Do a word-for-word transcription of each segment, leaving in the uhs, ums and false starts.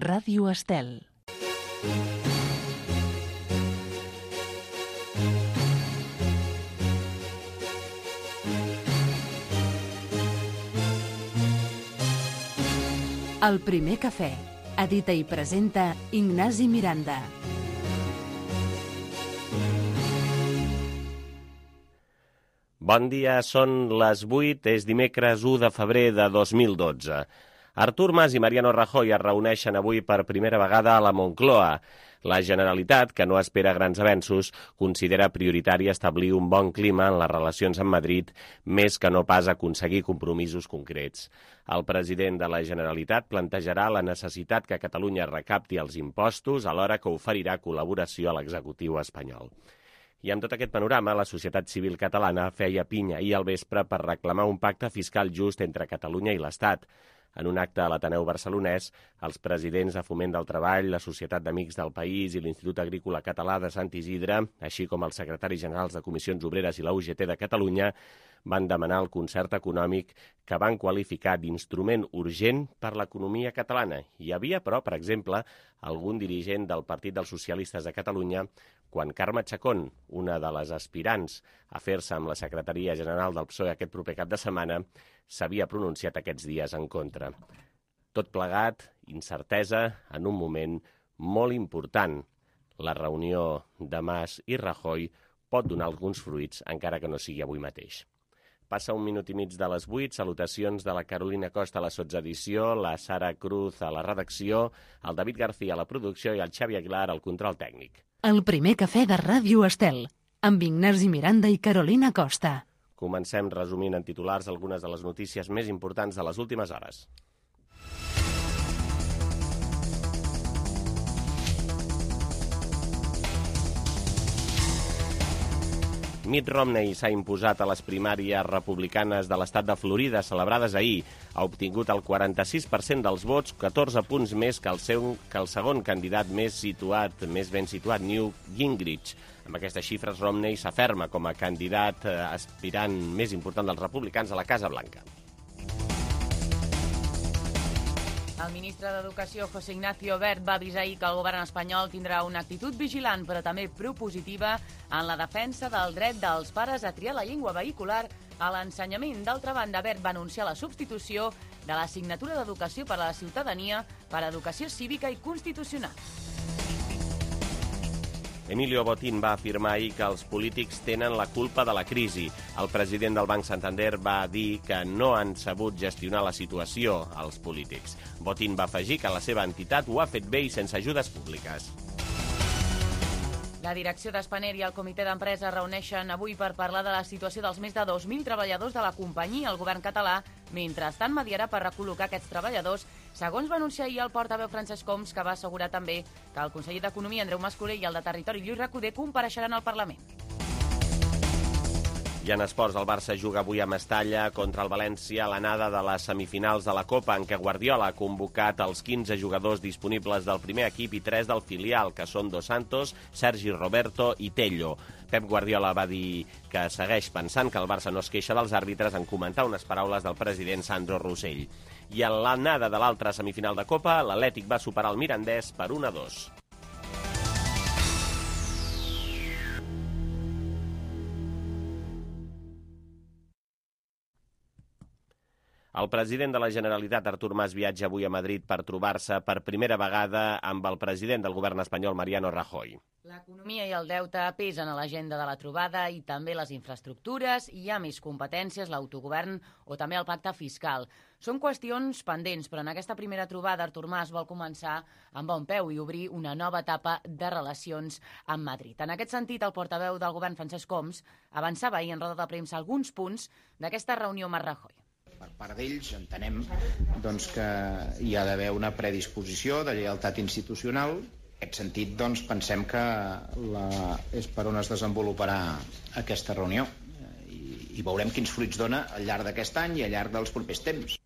Ràdio Estel. El primer cafè. Edita i presenta Ignasi Miranda. Bon dia, són les vuit, és dimecres u de febrer de dos mil dotze. Artur Mas i Mariano Rajoy es reuneixen avui per primera vegada a la Moncloa. La Generalitat, que no espera grans avenços, considera prioritari establir un bon clima en les relacions amb Madrid, més que no pas aconseguir compromisos concrets. El president de la Generalitat plantejarà la necessitat que Catalunya recapti els impostos, alhora que oferirà col·laboració a l'executiu espanyol. I amb tot aquest panorama, la societat civil catalana feia pinya ahir al vespre per reclamar un pacte fiscal just entre Catalunya i l'Estat. En un acte a l'Ateneu Barcelonès, els presidents de Foment del Treball, la Societat d'Amics del País i l'Institut Agrícola Català de Sant Isidre, així com els secretaris generals de Comissions Obreres i la U G T de Catalunya, van demanar el concert econòmic que van qualificar d'instrument urgent per l'economia catalana. Hi havia, però, per exemple, algun dirigent del Partit dels Socialistes de Catalunya quan Carme Chacón, una de les aspirants a fer-se amb la secretaria general del P S O E aquest proper cap de setmana, s'havia pronunciat aquests dies en contra. Tot plegat, incertesa, en un moment molt important. La reunió de Mas i Rajoy pot donar alguns fruits, encara que no sigui avui mateix. Passa un minut i mig de les vuit, salutacions de la Carolina Costa a la sotsedició, la Sara Cruz a la redacció, el David García a la producció i el Xavi Aguilar al control tècnic. El primer cafè de Ràdio Estel, amb Ignasi Miranda i Carolina Costa. Comencem resumint en titulars algunes de les notícies més importants de les últimes hores. Mitt Romney s'ha imposat a les primàries republicanes de l'estat de Florida celebrades ahir. Ha obtingut el quaranta-sis per cent dels vots, catorze punts més que el, seu, que el segon candidat més situat, més ben situat, Newt Gingrich. Amb aquestes xifres, Romney s'aferma com a candidat eh, aspirant més important dels republicans a la Casa Blanca. El ministre d'Educació, José Ignacio Wert, va avisar ahir que el govern espanyol tindrà una actitud vigilant, però també propositiva, en la defensa del dret dels pares a triar la llengua vehicular a l'ensenyament. D'altra banda, Wert va anunciar la substitució de l'assignatura d'Educació per a la Ciutadania per a Educació Cívica i Constitucional. Emilio Botín va afirmar ahir que els polítics tenen la culpa de la crisi. El president del Banc Santander va dir que no han sabut gestionar la situació als polítics. Botín va afegir que la seva entitat ho ha fet bé i sense ajudes públiques. La direcció d'Spanair i el comitè d'empresa es reuneixen avui per parlar de la situació dels més de dos mil treballadors de la companyia. El govern català, mentrestant, mediarà per recol·locar aquests treballadors, segons va anunciar ahir el portaveu Francesc Homs, que va assegurar també que el conseller d'Economia, Andreu Mas-Colell, i el de Territori, Lluís Recoder, compareixeran al Parlament. I en esports, el Barça juga avui a Mestalla contra el València a l'anada de les semifinals de la Copa, en què Guardiola ha convocat els quinze jugadors disponibles del primer equip i tres del filial, que són Dos Santos, Sergi Roberto i Tello. Pep Guardiola va dir que segueix pensant que el Barça no es queixa dels àrbitres en comentar unes paraules del president Sandro Rosell. I en l'anada de l'altra semifinal de Copa, l'Atlètic va superar el Mirandés per un a dos. El president de la Generalitat, Artur Mas, viatja avui a Madrid per trobar-se per primera vegada amb el president del govern espanyol, Mariano Rajoy. L'economia i el deute pesen a l'agenda de la trobada i també les infraestructures, hi ha més competències, l'autogovern o també el pacte fiscal. Són qüestions pendents, però en aquesta primera trobada Artur Mas vol començar amb bon peu i obrir una nova etapa de relacions amb Madrid. En aquest sentit, el portaveu del govern, Francesc Homs, avançava ahir en roda de premsa alguns punts d'aquesta reunió amb Rajoy. Per part d'ells entenem doncs, que hi ha d'haver una predisposició de lleialtat institucional. En aquest sentit, doncs, pensem que la... és per on es desenvoluparà aquesta reunió i, i veurem quins fruits dona al llarg d'aquest any i al llarg dels propers temps.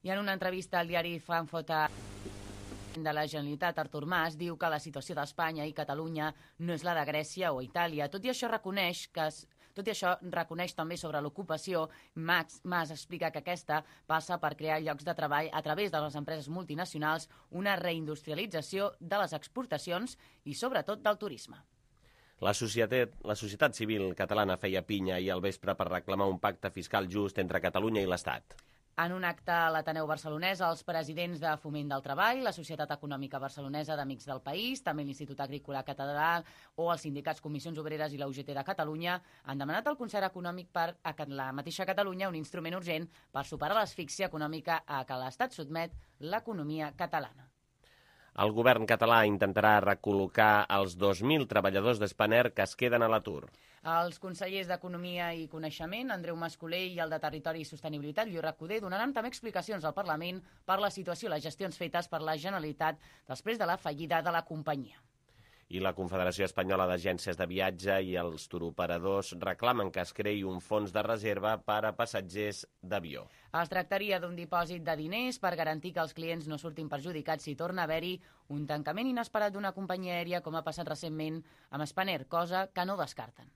I en una entrevista al diari Frankfurter de la Generalitat, Artur Mas diu que la situació d'Espanya i Catalunya no és la de Grècia o Itàlia. Tot i això reconeix que Tot i això, reconeix també sobre l'ocupació. Max Mas explica que aquesta passa per crear llocs de treball a través de les empreses multinacionals, una reindustrialització de les exportacions i, sobretot, del turisme. La societat, la societat civil catalana feia pinya ahir al vespre per reclamar un pacte fiscal just entre Catalunya i l'Estat. En un acte a l'Ateneu Barcelonès, els presidents de Foment del Treball, la Societat Econòmica Barcelonesa d'Amics del País, també l'Institut Agrícola Català o els sindicats Comissions Obreres i la U G T de Catalunya han demanat al concert econòmic per a la mateixa Catalunya un instrument urgent per superar l'asfíxia econòmica a què l'Estat sotmet l'economia catalana. El govern català intentarà recol·locar els dos mil treballadors d'Spanair que es queden a l'atur. Els consellers d'Economia i Coneixement, Andreu Mascolell, i el de Territori i Sostenibilitat, Lluís Recoder, donaran també explicacions al Parlament per la situació i les gestions fetes per la Generalitat després de la fallida de la companyia. I la Confederació Espanyola d'Agències de Viatge i els turoperadors reclamen que es creï un fons de reserva per a passatgers d'avió. Es tractaria d'un dipòsit de diners per garantir que els clients no surtin perjudicats si torna a haver-hi un tancament inesperat d'una companyia aèria, com ha passat recentment amb Spanair, cosa que no descarten.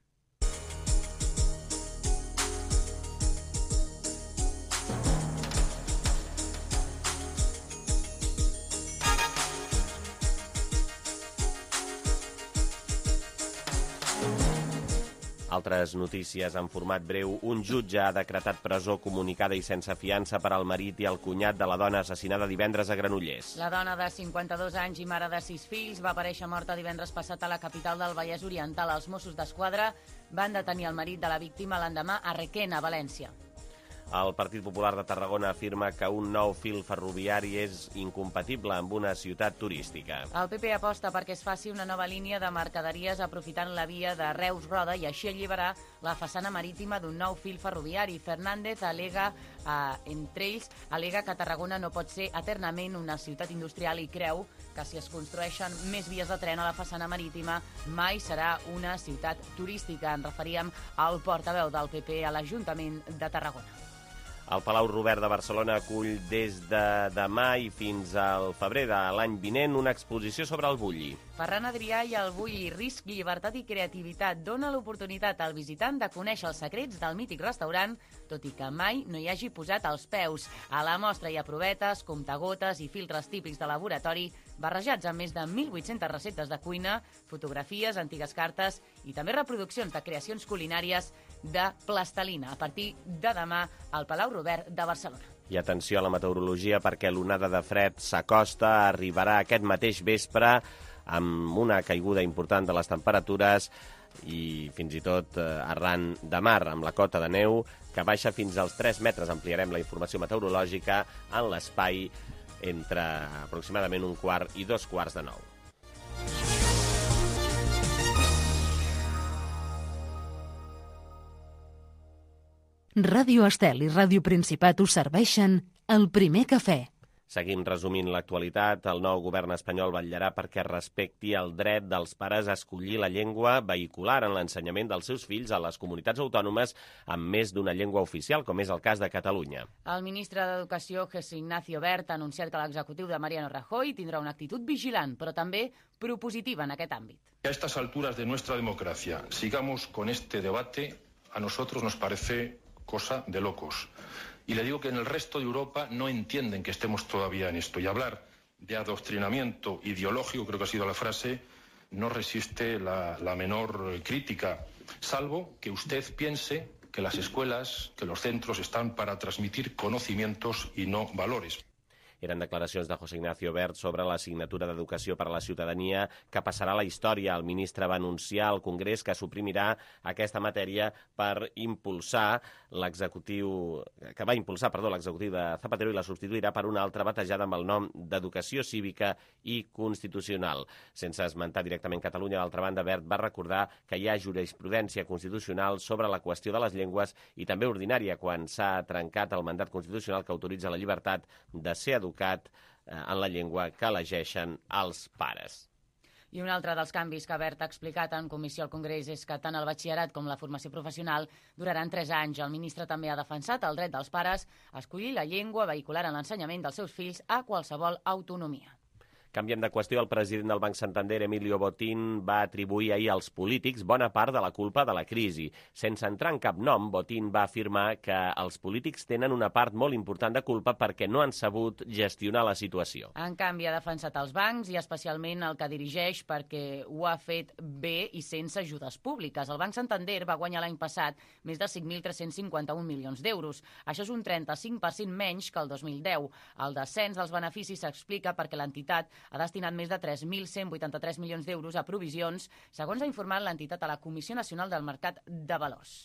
Altres notícies en format breu. Un jutge ha decretat presó comunicada i sense fiança per al marit i el cunyat de la dona assassinada divendres a Granollers. La dona de cinquanta-dos anys i mare de sis fills va aparèixer morta divendres passat a la capital del Vallès Oriental. Els Mossos d'Esquadra van detenir el marit de la víctima l'endemà a Requena, a València. El Partit Popular de Tarragona afirma que un nou fil ferroviari és incompatible amb una ciutat turística. El P P aposta perquè es faci una nova línia de mercaderies aprofitant la via de Reus-Roda i així alliberar la façana marítima d'un nou fil ferroviari. Fernández alega, eh, entre ells, alega que Tarragona no pot ser eternament una ciutat industrial i creu que si es construeixen més vies de tren a la façana marítima mai serà una ciutat turística. En referíem al portaveu del P P a l'Ajuntament de Tarragona. El Palau Robert de Barcelona acull des de demà i fins al febrer de l'any vinent una exposició sobre el bulli. Ferran Adrià i el bulli, risc, llibertat i creativitat, dona l'oportunitat al visitant de conèixer els secrets del mític restaurant, tot i que mai no hi hagi posat els peus. A la mostra hi ha provetes, comptagotes i filtres típics de laboratori, barrejats amb més de mil vuit-centes receptes de cuina, fotografies, antigues cartes i també reproduccions de creacions culinàries de plastelina, a partir de demà al Palau Robert de Barcelona. I atenció a la meteorologia perquè l'onada de fred s'acosta, arribarà aquest mateix vespre amb una caiguda important de les temperatures i fins i tot arran de mar amb la cota de neu que baixa fins als tres metres. Ampliarem la informació meteorològica en l'espai entre aproximadament un quart i dos quarts de nou. Ràdio Estel i Ràdio Principat us serveixen el primer cafè. Seguim resumint l'actualitat. El nou govern espanyol vetllarà perquè respecti el dret dels pares a escollir la llengua vehicular en l'ensenyament dels seus fills a les comunitats autònomes amb més d'una llengua oficial, com és el cas de Catalunya. El ministre d'Educació, José Ignacio Wert, ha anunciat que l'executiu de Mariano Rajoy tindrà una actitud vigilant, però també propositiva en aquest àmbit. A estas alturas de nuestra democracia sigamos con este debate, a nosotros nos parece cosa de locos. Y le digo que en el resto de Europa no entienden que estemos todavía en esto. Y hablar de adoctrinamiento ideológico, creo que ha sido la frase, no resiste la, la menor crítica, salvo que usted piense que las escuelas, que los centros están para transmitir conocimientos y no valores. Eren declaracions de José Ignacio Wert sobre l'assignatura d'Educació per a la Ciutadania que passarà a la història. El ministre va anunciar al Congrés que suprimirà aquesta matèria per impulsar l'executiu que va impulsar, perdó, l'executiu de Zapatero i la substituirà per una altra batejada amb el nom d'Educació Cívica i Constitucional. Sense esmentar directament Catalunya, d'altra banda, Wert va recordar que hi ha jurisprudència constitucional sobre la qüestió de les llengües i també ordinària quan s'ha trencat el mandat constitucional que autoritza la llibertat de ser educat en la llengua que elegeixen els pares. I un altre dels canvis que Wert ha explicat en comissió al Congrés és que tant el batxillerat com la formació professional duraran tres anys. El ministre també ha defensat el dret dels pares a escollir la llengua vehicular en l'ensenyament dels seus fills a qualsevol autonomia. Canviem de qüestió. El president del Banc Santander, Emilio Botín, va atribuir ahir als polítics bona part de la culpa de la crisi. Sense entrar en cap nom, Botín va afirmar que els polítics tenen una part molt important de culpa perquè no han sabut gestionar la situació. En canvi, ha defensat els bancs i especialment el que dirigeix perquè ho ha fet bé i sense ajudes públiques. El Banc Santander va guanyar l'any passat més de cinc mil tres-cents cinquanta-un milions d'euros. Això és un trenta-cinc per cent menys que el dos mil deu. El descens dels beneficis s'explica perquè l'entitat ha destinat més de tres mil cent vuitanta-tres milions d'euros a provisions, segons ha informat l'entitat a la Comissió Nacional del Mercat de Valors.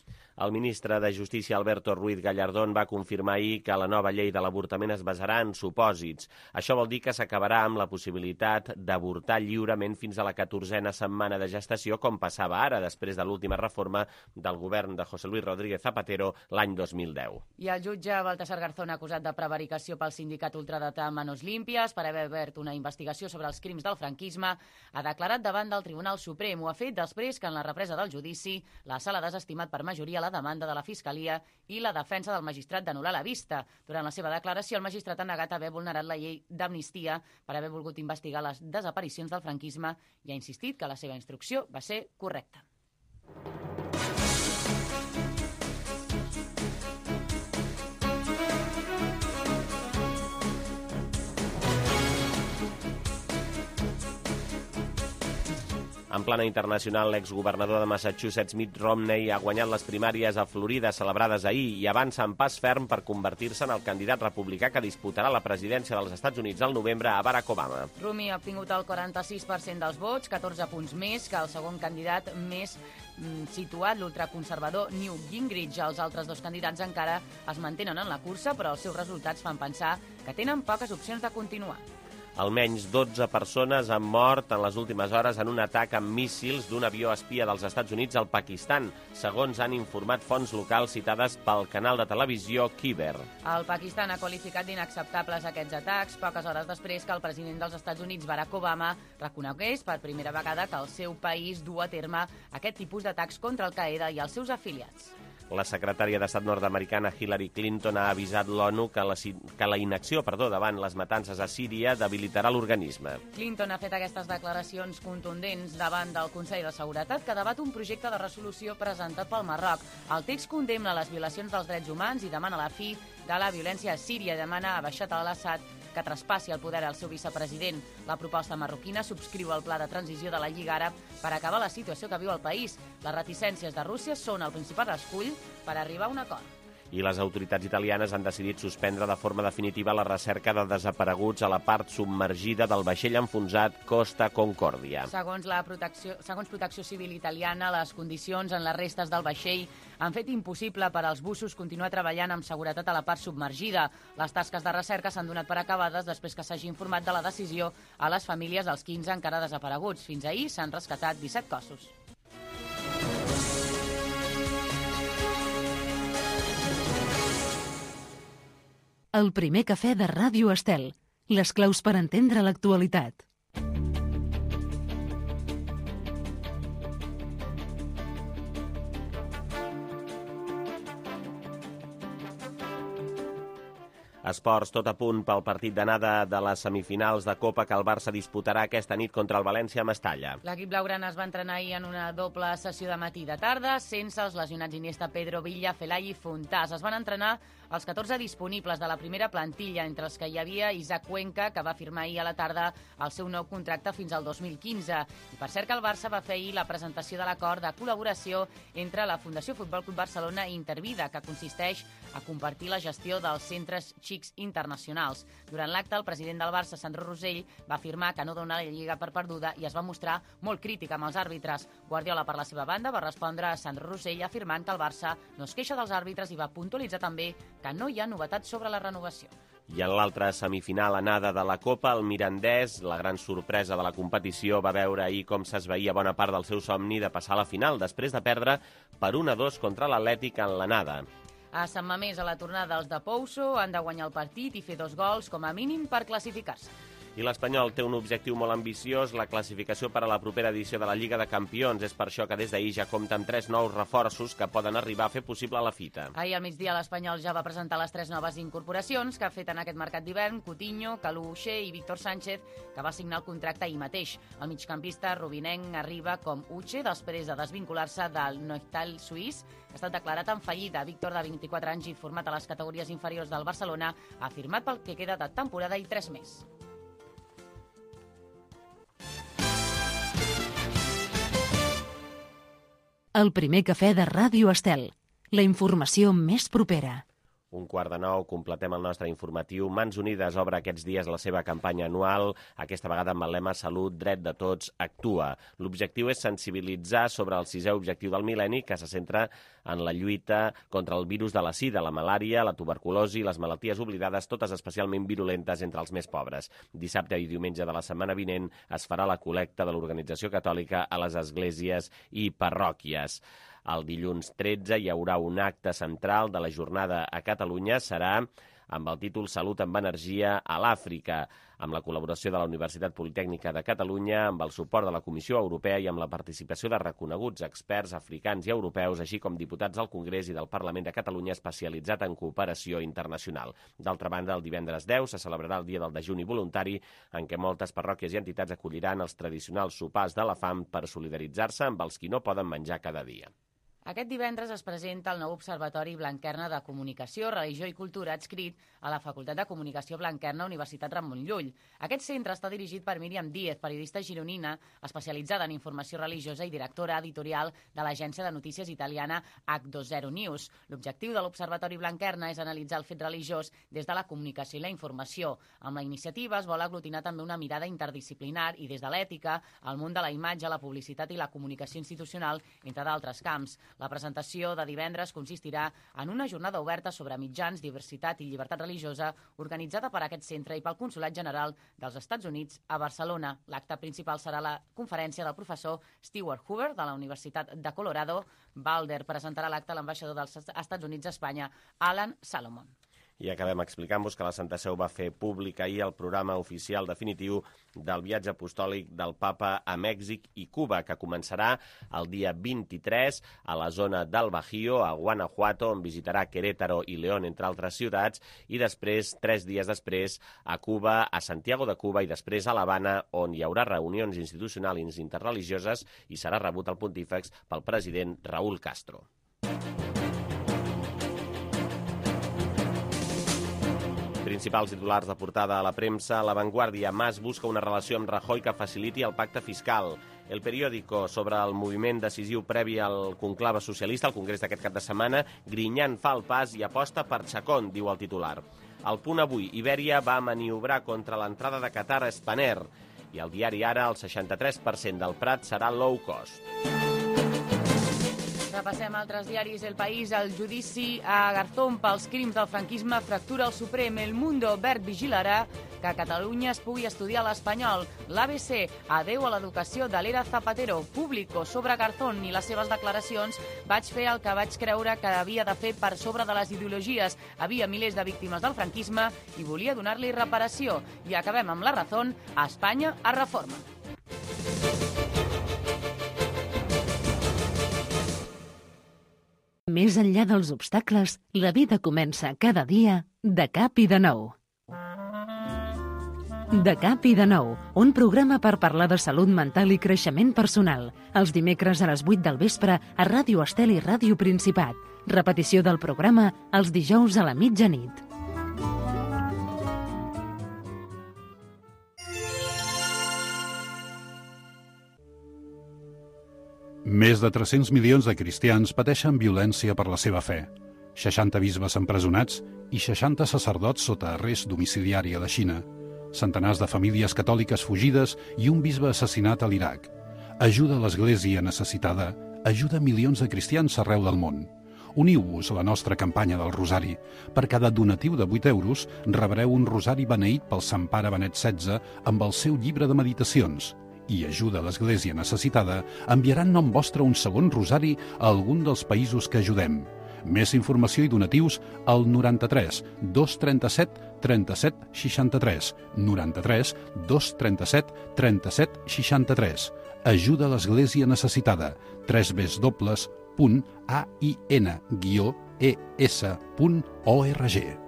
El ministre de Justícia, Alberto Ruiz Gallardón, va confirmar ahir que la nova llei de l'avortament es basarà en supòsits. Això vol dir que s'acabarà amb la possibilitat d'avortar lliurement fins a la catorzena setmana de gestació, com passava ara, després de l'última reforma del govern de José Luis Rodríguez Zapatero l'any dos mil deu. I el jutge Baltasar Garzón, acusat de prevaricació pel sindicat ultradretà Manos Limpias per haver obert una investigació sobre els crims del franquisme, ha declarat davant del Tribunal Suprem. Ho ha fet després que en la represa del judici la sala ha desestimat per majoria la demanda de la Fiscalia i la defensa del magistrat d'anul·lar la vista. Durant la seva declaració, el magistrat ha negat haver vulnerat la llei d'amnistia per haver volgut investigar les desaparicions del franquisme i ha insistit que la seva instrucció va ser correcta. En plana internacional, l'exgovernador de Massachusetts, Mitt Romney, ha guanyat les primàries a Florida celebrades ahir i avança en pas ferm per convertir-se en el candidat republicà que disputarà la presidència dels Estats Units al novembre a Barack Obama. Romney ha obtingut el quaranta-sis per cent dels vots, catorze punts més que el segon candidat més mm, situat, l'ultraconservador Newt Gingrich. Els altres dos candidats encara es mantenen en la cursa, però els seus resultats fan pensar que tenen poques opcions de continuar. Almenys dotze persones han mort en les últimes hores en un atac amb míssils d'un avió espia dels Estats Units al Pakistan, segons han informat fonts locals citades pel canal de televisió Khyber. El Pakistan ha qualificat d'inacceptables aquests atacs poques hores després que el president dels Estats Units, Barack Obama, reconegués per primera vegada que el seu país du a terme aquest tipus d'atacs contra Al-Qaeda i els seus afiliats. La secretària d'Estat nord-americana Hillary Clinton ha avisat l'ONU que la, que la inacció perdó, davant les matances a Síria debilitarà l'organisme. Clinton ha fet aquestes declaracions contundents davant del Consell de Seguretat, que debat un projecte de resolució presentat pel Marroc. El text condemna les violacions dels drets humans i demana la fi de la violència a Síria. Demana a Bashar al-Assad que traspassi el poder al seu vicepresident. La proposta marroquina subscriu el pla de transició de la Lliga Àrab per acabar la situació que viu el país. Les reticències de Rússia són el principal escull per arribar a un acord. I les autoritats italianes han decidit suspendre de forma definitiva la recerca de desapareguts a la part submergida del vaixell enfonsat Costa Concordia. Segons, la protecció, segons Protecció Civil italiana, les condicions en les restes del vaixell han fet impossible per als bussos continuar treballant amb seguretat a la part submergida. Les tasques de recerca s'han donat per acabades després que s'hagi informat de la decisió a les famílies dels quinze encara desapareguts. Fins ahir s'han rescatat disset cossos. El primer cafè de Ràdio Estel. Les claus per entendre l'actualitat. Esports, tot a punt pel partit d'anada de les semifinals de Copa que el Barça disputarà aquesta nit contra el València a Mestalla. L'equip blaugrana es va entrenar ahir en una doble sessió de matí i de tarda, sense els lesionats Iniesta, Pedro, Villa, Fellaini i Fontàs. Es van entrenar els catorze disponibles de la primera plantilla, entre els que hi havia Isaac Cuenca, que va firmar ahir a la tarda el seu nou contracte fins al dos mil quinze. I per cert que el Barça va fer ahir la presentació de l'acord de col·laboració entre la Fundació Futbol Club Barcelona i Intervida, que consisteix a compartir la gestió dels centres xics internacionals. Durant l'acte, el president del Barça, Sandro Rosell, va afirmar que no dona la Lliga per perduda i es va mostrar molt crític amb els àrbitres. Guardiola, per la seva banda, va respondre a Sandro Rosell afirmant que el Barça no es queixa dels àrbitres i va puntualitzar també que no hi ha novetats sobre la renovació. I en l'altra semifinal anada de la Copa, el Mirandès, la gran sorpresa de la competició, va veure ahir com s'esvaïa bona part del seu somni de passar a la final, després de perdre per un a dos contra l'Atlètic en l'anada. A Sant Mamés, a la tornada, els de Pouso han de guanyar el partit i fer dos gols com a mínim per classificar-se. I l'Espanyol té un objectiu molt ambiciós, la classificació per a la propera edició de la Lliga de Campions. És per això que des d'ahir ja compta amb tres nous reforços que poden arribar a fer possible la fita. Ahir al migdia l'Espanyol ja va presentar les tres noves incorporacions que ha fet en aquest mercat d'hivern: Coutinho, Kalou Uche i Víctor Sánchez, que va signar el contracte ahir mateix. El migcampista rubinenc arriba com Uche després de desvincular-se del Neuchâtel suís, que ha estat declarat en fallida. Víctor, de vint-i-quatre anys i format a les categories inferiors del Barcelona, ha firmat pel que queda de temporada i tres més. El primer cafè de Ràdio Estel. La informació més propera. Un quart de nou, completem el nostre informatiu. Mans Unides obre aquests dies la seva campanya anual, aquesta vegada amb el lema Salut, dret de tots, actua. L'objectiu és sensibilitzar sobre el sisè objectiu del mil·lenni, que se centra en la lluita contra el virus de la sida, la malària, la tuberculosi i les malalties oblidades, totes especialment virulentes entre els més pobres. Dissabte i diumenge de la setmana vinent es farà la col·lecta de l'Organització Catòlica a les esglésies i parròquies. El dilluns tretze hi haurà un acte central de la jornada a Catalunya. Serà amb el títol Salut amb energia a l'Àfrica, amb la col·laboració de la Universitat Politècnica de Catalunya, amb el suport de la Comissió Europea i amb la participació de reconeguts experts africans i europeus, així com diputats del Congrés i del Parlament de Catalunya especialitzat en cooperació internacional. D'altra banda, el divendres deu se celebrarà el Dia del Dejuni Voluntari, en què moltes parròquies i entitats acolliran els tradicionals sopars de la fam per solidaritzar-se amb els qui no poden menjar cada dia. Aquest divendres es presenta el nou Observatori Blanquerna de Comunicació, Religió i Cultura adscrit a la Facultat de Comunicació Blanquerna, Universitat Ramon Llull. Aquest centre està dirigit per Míriam Díez, periodista gironina, especialitzada en informació religiosa i directora editorial de l'agència de notícies italiana H dos zero News. L'objectiu de l'Observatori Blanquerna és analitzar el fet religiós des de la comunicació i la informació. Amb la iniciativa es vol aglutinar també una mirada interdisciplinar i des de l'ètica, el món de la imatge, la publicitat i la comunicació institucional, entre d'altres camps. La presentació de divendres consistirà en una jornada oberta sobre mitjans, diversitat i llibertat religiosa organitzada per aquest centre i pel Consolat General dels Estats Units a Barcelona. L'acte principal serà la conferència del professor Stewart Hoover de la Universitat de Colorado. Balder presentarà l'acte a l'ambaixador dels Estats Units a Espanya, Alan Salomon. I acabem explicant-vos que la Santa Seu va fer públic ahir el programa oficial definitiu del viatge apostòlic del Papa a Mèxic i Cuba, que començarà el dia vint-i-tres a la zona del Bajío, a Guanajuato, on visitarà Querétaro i León, entre altres ciutats, i després, tres dies després, a Cuba, a Santiago de Cuba i després a l'Havana, on hi haurà reunions institucionals interreligioses i serà rebut al pontífex pel president Raúl Castro. Principals titulars de portada a la premsa. La Vanguardia. Mas busca una relació amb Rajoy que faciliti el pacte fiscal. El Periódico, sobre el moviment decisiu previ al conclave socialista, al congrés d'aquest cap de setmana. Griñán fa el pas i aposta per Chacón, diu el titular. Al Punt Avui. Ibèria va maniobrar contra l'entrada de Qatar a Spanair. I al diari Ara, el seixanta-tres per cent del Prat serà low cost. Repassem altres diaris. El País, el judici a Garzón pels crims del franquisme fractura el Suprem. El Mundo, Verd vigilarà que a Catalunya es pugui estudiar l'espanyol. L'A B C, adeu a l'educació de l'era Zapatero. Público, sobre Garzón i les seves declaracions. Vaig fer el que vaig creure que havia de fer per sobre de les ideologies. Havia milers de víctimes del franquisme i volia donar-li reparació. I acabem amb La Razón. A Espanya a reforma. Més enllà dels obstacles, la vida comença cada dia de cap i de nou. De cap i de nou, un programa per parlar de salut mental i creixement personal. Els dimecres a les vuit del vespre a Ràdio Estel i Ràdio Principat. Repetició del programa els dijous a la mitjanit. Més de tres-cents milions de cristians pateixen violència per la seva fe. seixanta bisbes empresonats i seixanta sacerdots sota arrest domiciliari a la Xina. Centenars de famílies catòliques fugides i un bisbe assassinat a l'Iraq. Ajuda a l'Església necessitada. Ajuda milions de cristians arreu del món. Uniu-vos a la nostra campanya del Rosari. Per cada donatiu de vuit euros rebreu un rosari beneït pel Sant Pare Benet setze amb el seu llibre de meditacions. I Ajuda a l'Església necessitada enviarà en nom vostre un segon rosari a algun dels països que ajudem. Més informació i donatius al noranta-tres dos trenta-set trenta-set seixanta-tres, noranta-tres dos trenta-set trenta-set seixanta-tres. Ajuda a l'Església Necessitada. w w w punt a i n guió e s punt org.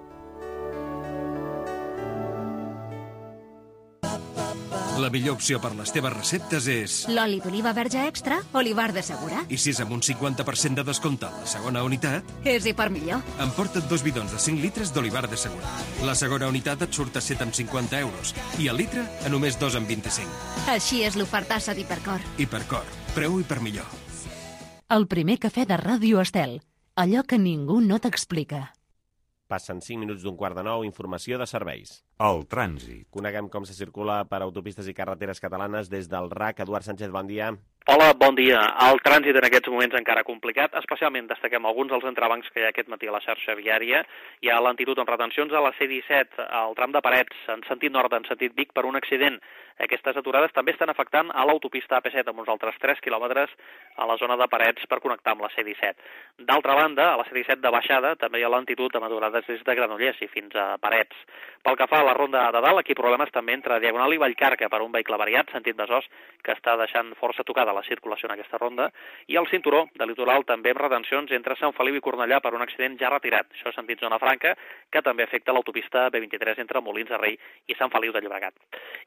La millor opció per les teves receptes és... L'oli d'oliva verge extra, Olivar de Segura. I si és amb un cinquanta per cent de descompte a la segona unitat... És i per millor. Emporta't dos bidons de cinc litres d'Olivar de Segura. La segona unitat et surt a set coma cinquanta euros i el litre a només dos coma vint-i-cinc. Així és l'ofertassa d'Hipercor. Hipercor, preu i per millor. El primer cafè de Ràdio Estel. Allò que ningú no t'explica. Passen cinc minuts d'un quart de nou, informació de serveis. El trànsit. Coneguem com se circula per autopistes i carreteres catalanes des del R A C. Eduard Sánchez, bon dia. Hola, bon dia. El trànsit en aquests moments encara complicat, especialment destaquem alguns dels entrebancs que hi ha aquest matí a la xarxa viària. Hi ha lentitud amb retencions a la C disset, al tram de Parets, en sentit nord, en sentit Vic, per un accident. Aquestes aturades també estan afectant a l'autopista A P set, amb uns altres tres quilòmetres a la zona de Parets per connectar amb la C disset. D'altra banda, a la C disset de baixada també hi ha lentitud amb aturades des de Granollers i fins a Parets. Pel que fa a la ronda de dalt, aquí problemes també entre Diagonal i Vallcarca per un vehicle variat, sentit Besòs, que està deixant força tocada la circulació en aquesta ronda, i el cinturó de litoral també amb retencions entre Sant Feliu i Cornellà per un accident ja retirat, això sentit Zona Franca, que també afecta l'autopista B vint-i-tres entre Molins de Rei i Sant Feliu de Llobregat.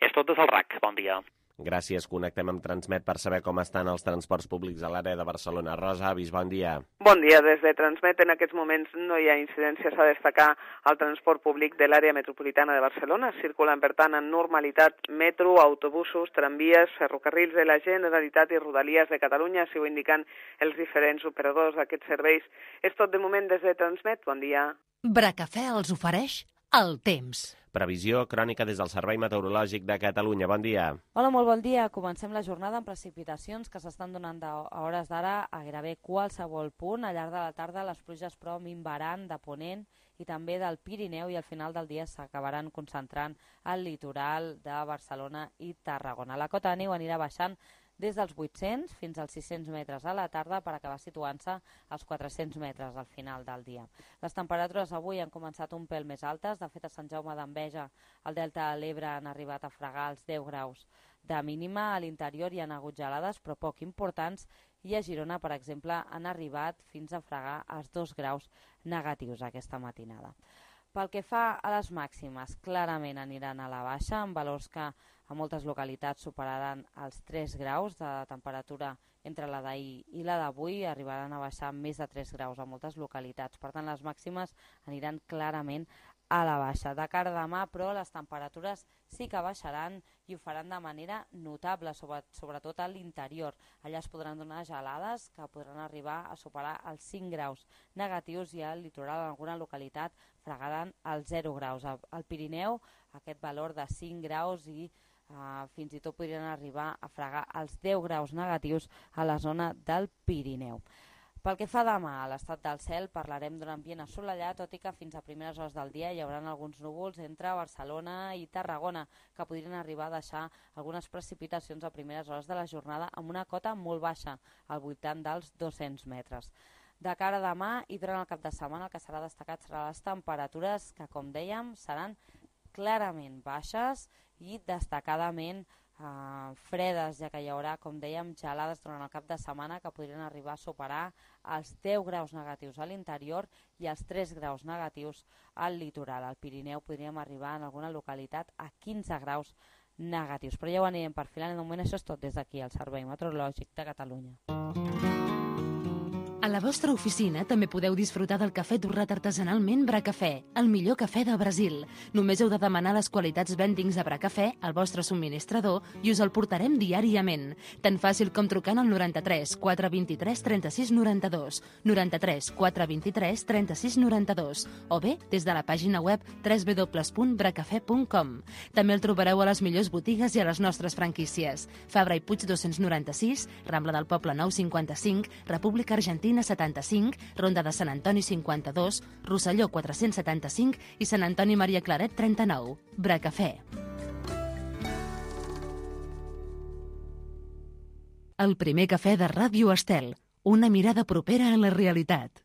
És tot des del R A C. Bon dia. Gràcies. Connectem amb Transmet per saber com estan els transports públics a l'àrea de Barcelona. Rosa Avis, bon dia. Bon dia. Des de Transmet en aquests moments no hi ha incidències a destacar al transport públic de l'àrea metropolitana de Barcelona. Circulen, per tant, en normalitat metro, autobusos, tramvies, ferrocarrils de la Generalitat i Rodalies de Catalunya, així ho indiquen els diferents operadors d'aquests serveis. És tot de moment des de Transmet. Bon dia. Bracafè els ofereix el temps. Previsió crònica des del Servei Meteorològic de Catalunya. Bon dia. Hola, molt bon dia. Comencem la jornada amb precipitacions que s'estan donant a hores d'ara a gairebé qualsevol punt. Al llarg de la tarda les pluges però minvaran de Ponent i també del Pirineu i al final del dia s'acabaran concentrant al litoral de Barcelona i Tarragona. La cota de neu anirà baixant des dels vuit-cents fins als sis-cents metres a la tarda per acabar situant-se als quatre-cents metres al final del dia. Les temperatures avui han començat un pèl més altes. De fet, a Sant Jaume d'Enveja, al Delta de l'Ebre, han arribat a fregar els deu graus de mínima. A l'interior hi ha hagut gelades, però poc importants, i a Girona, per exemple, han arribat fins a fregar els dos graus negatius aquesta matinada. Pel que fa a les màximes, clarament aniran a la baixa, amb valors que a moltes localitats superaran els tres graus de temperatura entre la d'ahir i la d'avui, arribaran a baixar més de tres graus a moltes localitats. Per tant, les màximes aniran clarament a la baixa. De cara a demà, però, les temperatures sí que baixaran i ho faran de manera notable, sobretot a l'interior. Allà es podran donar gelades que podran arribar a superar els cinc graus negatius i al litoral en alguna localitat fregaran els zero graus. Al Pirineu aquest valor de cinc graus i Uh, fins i tot podrien arribar a fregar els deu graus negatius a la zona del Pirineu. Pel que fa demà a l'estat del cel, parlarem d'un ambient assolellat, tot i que fins a primeres hores del dia hi haurà alguns núvols entre Barcelona i Tarragona, que podrien arribar a deixar algunes precipitacions a primeres hores de la jornada amb una cota molt baixa, al voltant dels dos-cents metres. De cara a demà i durant el cap de setmana el que serà destacat seran les temperatures que, com dèiem, seran clarament baixes i destacadament eh, fredes, ja que hi haurà, com dèiem, gelades durant el cap de setmana que podrien arribar a superar els deu graus negatius a l'interior i els tres graus negatius al litoral. Al Pirineu podríem arribar en alguna localitat a quinze graus negatius, però ja ho anirem perfilant. De moment això és tot des d'aquí, al Servei Meteorològic de Catalunya. A la vostra oficina també podeu disfrutar del cafè torrat artesanalment Bracafè, el millor cafè de Brasil. Només heu de demanar les qualitats blendings de Bracafè al vostre subministrador i us el portarem diàriament. Tan fàcil com trucant al noranta-tres quatre vint-i-tres trenta-sis noranta-dos, noranta-tres quatre vint-i-tres trenta-sis noranta-dos o bé des de la pàgina web w w w punt bracafè punt com. També el trobareu a les millors botigues i a les nostres franquícies. Fabra i Puig dos-cents noranta-sis, Rambla del Poble nou cinquanta-cinc, República Argentina setanta-cinc, Ronda de Sant Antoni cinquanta-dos, Rosselló quatre-cents setanta-cinc i Sant Antoni Maria Claret trenta-nou. Bracafè. El primer cafè de Ràdio Estel. Una mirada propera a la realitat.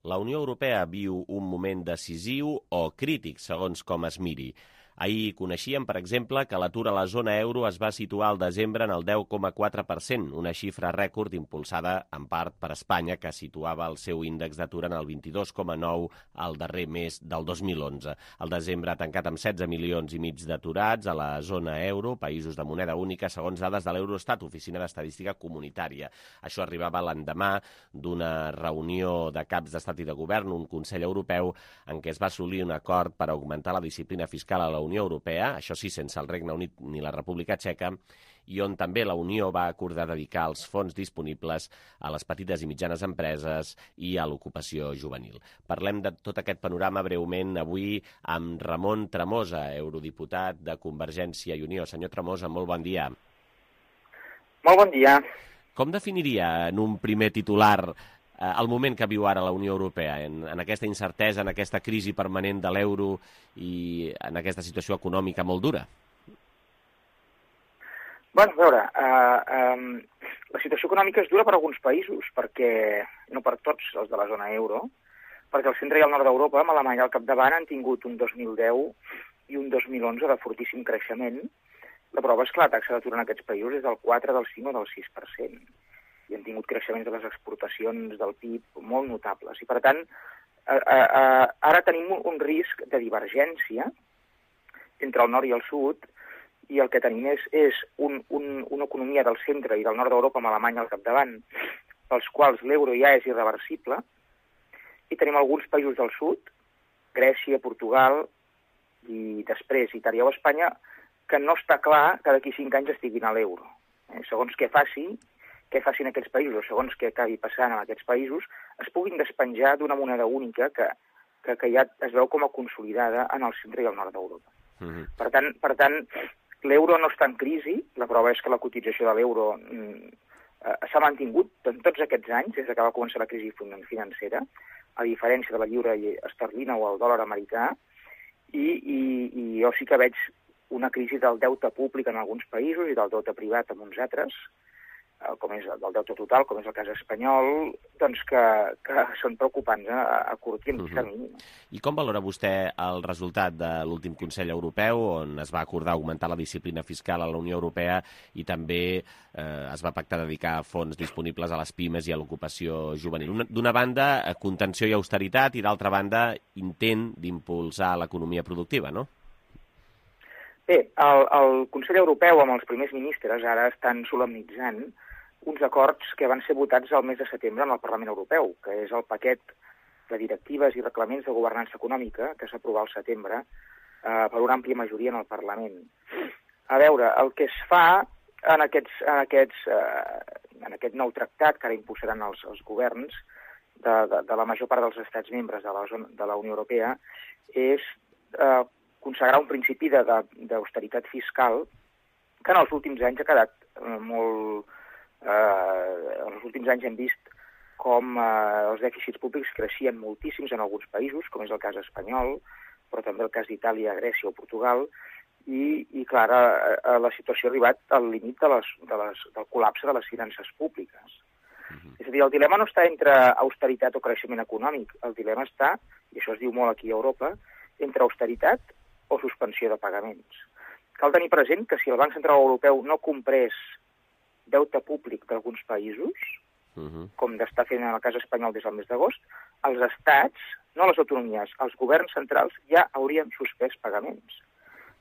La Unió Europea viu un moment decisiu o crític, segons com es miri. Ahir coneixíem, per exemple, que l'atur a la zona euro es va situar al desembre en el deu coma quatre per cent, una xifra rècord impulsada en part per Espanya, que situava el seu índex d'atur en el vint-i-dos coma nou al darrer mes del dos mil onze. El desembre ha tancat amb setze milions i mig d'aturats a la zona euro, països de moneda única, segons dades de l'Eurostat, Oficina d'Estadística Comunitària. Això arribava l'endemà d'una reunió de caps d'estat i de govern, un Consell Europeu, en què es va assolir un acord per augmentar la disciplina fiscal a la Unió Europea, això sí, sense el Regne Unit ni la República Txeca, i on també la Unió va acordar dedicar els fons disponibles a les petites i mitjanes empreses i a l'ocupació juvenil. Parlem de tot aquest panorama breument avui amb Ramon Tremosa, eurodiputat de Convergència i Unió. Senyor Tremosa, molt bon dia. Molt bon dia. Com definiria en un primer titular el moment que viu ara la Unió Europea, en, en aquesta incertesa, en aquesta crisi permanent de l'euro i en aquesta situació econòmica molt dura? Bueno, a veure, eh, eh, la situació econòmica és dura per alguns països, perquè no per tots els de la zona euro, perquè el centre i el nord d'Europa, amb Alemanya al capdavant, han tingut un dos mil deu i un dos mil onze de fortíssim creixement. La prova és que la taxa d'atur en aquests països és del quatre, del cinc o del sis per cent. I han tingut creixements de les exportacions del P I B molt notables. I, per tant, eh, eh, ara tenim un, un risc de divergència entre el nord i el sud, i el que tenim és, és un, un, una economia del centre i del nord d'Europa amb Alemanya al capdavant, pels quals l'euro ja és irreversible, i tenim alguns països del sud, Grècia, Portugal, i després Itàlia o Espanya, que no està clar que d'aquí cinc anys estiguin a l'euro. Eh, segons què faci, què facin aquests països, segons què acabi passant en aquests països, es puguin despenjar d'una moneda única que, que, que ja es veu com a consolidada en el centre i el nord d'Europa. Uh-huh. Per tant, per tant l'euro no està en crisi, la prova és que la cotització de l'euro mm, eh, s'ha mantingut en tots aquests anys, des que va començar la crisi financera, a diferència de la lliura esterlina o el dòlar americà, i, i, i jo sí que veig una crisi del deute públic en alguns països i del deute privat en uns altres, com és el deute total, com és el cas espanyol, doncs que, que són preocupants a, a curt i a mig termini. Uh-huh. I com valora vostè el resultat de l'últim Consell Europeu, on es va acordar augmentar la disciplina fiscal a la Unió Europea i també eh, es va pactar dedicar fons disponibles a les pimes i a l'ocupació juvenil? D'una banda, contenció i austeritat, i d'altra banda, intent d'impulsar l'economia productiva, no? Bé, el, el Consell Europeu amb els primers ministres ara estan solemnitzant uns acords que van ser votats el mes de setembre en el Parlament Europeu, que és el paquet de directives i reglaments de governança econòmica que s'aprova al setembre eh, per una àmplia majoria en el Parlament. A veure, el que es fa en, aquests, en, aquests, eh, en aquest nou tractat que ara impulsaran els, els governs de, de, de la major part dels estats membres de la, zona, de la Unió Europea és eh, consagrar un principi d'austeritat fiscal que en els últims anys ha quedat eh, molt... Eh, en els últims anys hem vist com eh, els dèficits públics creixien moltíssims en alguns països, com és el cas espanyol, però també el cas d'Itàlia, Grècia o Portugal, i, i clar, eh, la situació ha arribat al límit de les, de les, del col·lapse de les finances públiques. Uh-huh. És a dir, el dilema no està entre austeritat o creixement econòmic, el dilema està, i això es diu molt aquí a Europa, entre austeritat o suspensió de pagaments. Cal tenir present que si el Banc Central Europeu no comprés deute públic d'alguns països, uh-huh. com d'estar fent en el cas espanyol des del mes d'agost, els estats, no les autonomies, els governs centrals ja haurien suspès pagaments.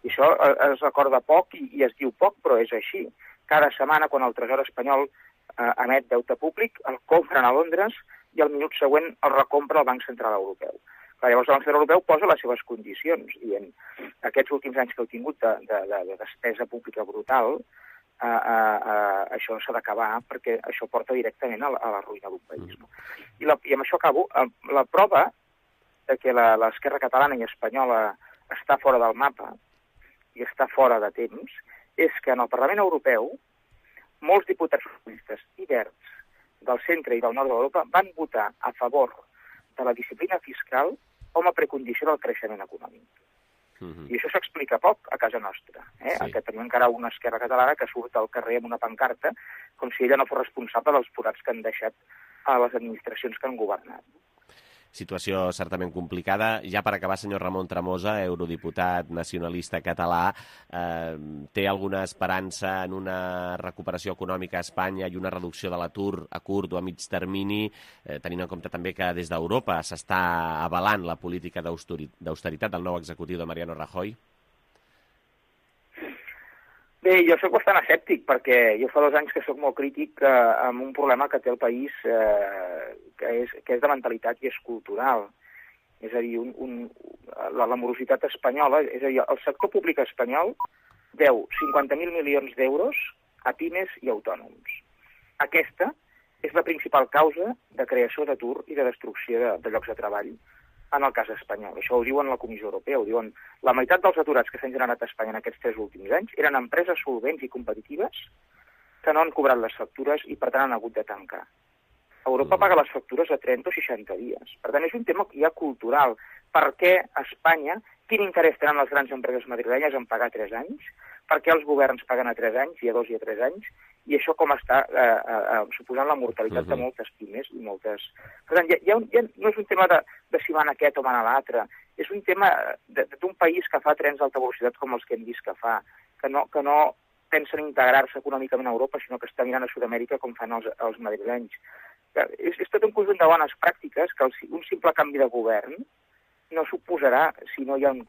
I això es recorda poc i, i es diu poc, però és així. Cada setmana, quan el Tresor espanyol eh, emet deute públic, el compren a Londres i al minut següent el recompra el Banc Central Europeu. Clar, llavors el Banc Central Europeu posa les seves condicions, dient aquests últims anys que heu tingut de, de, de, de despesa pública brutal, Uh, uh, uh, això s'ha d'acabar perquè això porta directament a la, a la ruïna d'un país. No? I, la, I amb això acabo. Uh, la prova de que l'esquerra catalana i espanyola està fora del mapa i està fora de temps és que en el Parlament Europeu molts diputats socialistes i verds del centre i del nord d'Europa van votar a favor de la disciplina fiscal com a precondició del creixement econòmic. Uh-huh. I això s'explica poc a casa nostra, eh? Sí. Que tenim encara una esquerra catalana que surt al carrer amb una pancarta com si ella no fos responsable dels forats que han deixat a les administracions que han governat. situació certament complicada. Ja per acabar, senyor Ramon Tremosa, eurodiputat nacionalista català, eh, té alguna esperança en una recuperació econòmica a Espanya i una reducció de l'atur a curt o a mig termini, eh, tenint en compte també que des d'Europa s'està avalant la política d'austeritat del nou executiu de Mariano Rajoy? Bé, jo soc bastant escèptic perquè jo fa dos anys que sóc molt crític eh, amb un problema que té el país eh, que, és, que és de mentalitat i és cultural. És a dir, un, un, la, la morositat espanyola, és a dir, el sector públic espanyol deu cinquanta mil milions d'euros a pimes i autònoms. Aquesta és la principal causa de creació d'atur i de destrucció de, de llocs de treball en el cas espanyol. Això ho diuen la Comissió Europea, ho diuen la meitat dels aturats que s'han generat a Espanya en aquests tres últims anys eren empreses solvents i competitives que no han cobrat les factures i, per tant, han hagut de tancar. Europa paga les factures a trenta o seixanta dies. Per tant, és un tema ja cultural. Per què a Espanya, quin interès tenen les grans empreses madrilenyes en pagar tres anys? Per què els governs paguen a tres anys, i a dos i a tres anys? I això com està eh, eh, suposant la mortalitat uh-huh. de moltes pimes i moltes... Per tant, ja, ja, ja no és un tema de, de si van aquest o van a l'altre, és un tema d'un país que fa trens d'alta velocitat com els que hem vist que fa, que no, que no pensen integrar-se econòmicament a Europa, sinó que està mirant a Sud-amèrica com fan els, els madrilenys. És, és tot un conjunt de bones pràctiques que el, un simple canvi de govern no suposarà, si no hi ha un,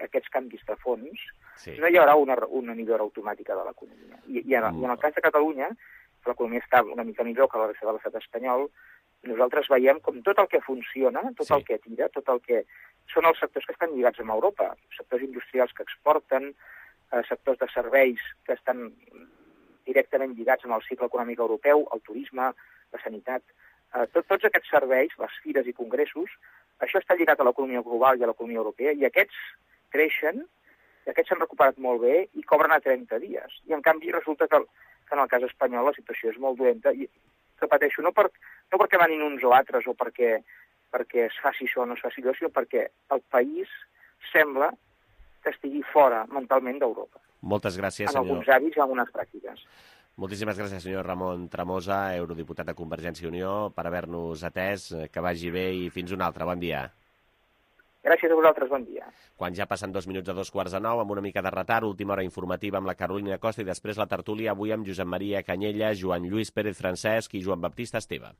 aquests canvis de fons, sí. no hi haurà una, una millora automàtica de l'economia. I, i, en, mm. I en el cas de Catalunya, que l'economia està una mica millor que la resta de l'estat espanyol, nosaltres veiem com tot el que funciona, tot sí. el que tira, tot el que... Són els sectors que estan lligats amb Europa, sectors industrials que exporten, eh, sectors de serveis que estan directament lligats amb el cicle econòmic europeu, el turisme, la sanitat... Eh, tot, tots aquests serveis, les fires i congressos, això està lligat a l'economia global i a l'economia europea, i aquests creixen, i aquests s'han recuperat molt bé i cobren a trenta dies. I en canvi resulta que, que en el cas espanyol la situació és molt dolenta, i repeteixo, no, per, no perquè manin uns o altres o perquè, perquè es faci això o no es faci allò, sinó perquè el país sembla que estigui fora mentalment d'Europa. Moltes gràcies, senyor. En alguns hàbits i en algunes pràctiques. Moltíssimes gràcies, senyor Ramon Tremosa, eurodiputat de Convergència i Unió, per haver-nos atès. Que vagi bé i fins una altra. Bon dia. Gràcies a vosaltres, bon dia. Quan ja passen dos minuts a dos quarts de nou, amb una mica de retard, última hora informativa amb la Carolina Costa i després la tertúlia avui amb Josep Maria Canyella, Joan Lluís Pérez Francesc i Joan Baptista Esteve.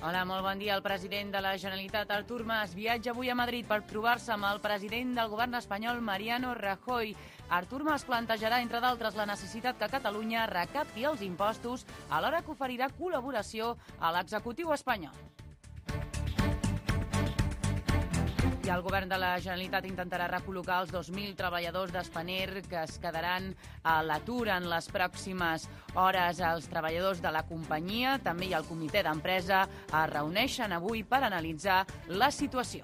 Hola, molt bon dia. El president de la Generalitat, Artur Mas, viatja avui a Madrid per trobar-se amb el president del govern espanyol, Mariano Rajoy. Artur Mas plantejarà, entre d'altres, la necessitat que Catalunya recapti els impostos, alhora que oferirà col·laboració a l'executiu espanyol. I el govern de la Generalitat intentarà recol·locar els dos mil treballadors d'Spanair que es quedaran a l'atur en les pròximes hores. Els treballadors de la companyia, també i el comitè d'empresa, es reuneixen avui per analitzar la situació.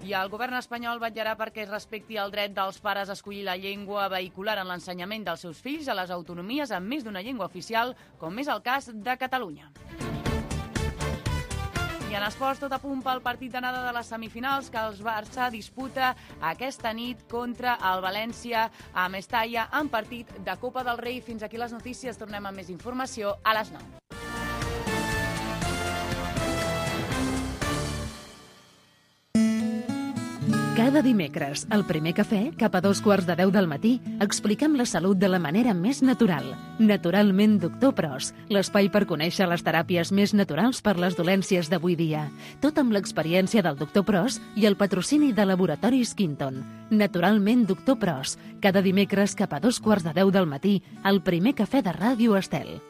I el govern espanyol vetllarà perquè es respecti el dret dels pares a escollir la llengua vehicular en l'ensenyament dels seus fills a les autonomies amb més d'una llengua oficial, com és el cas de Catalunya. I en esports, tot a punt pel partit d'anada de les semifinals que el Barça disputa aquesta nit contra el València a Mestalla en partit de Copa del Rei. Fins aquí les notícies. Tornem amb més informació a les nou. Cada dimecres, al primer cafè, cap a dos quarts de deu del matí, expliquem la salut de la manera més natural. Naturalment Doctor Pros, l'espai per conèixer les teràpies més naturals per les dolències d'avui dia. Tot amb l'experiència del Doctor Pros i el patrocini de Laboratoris Quinton. Naturalment Doctor Pros, cada dimecres cap a dos quarts de deu del matí, al primer cafè de Ràdio Estel.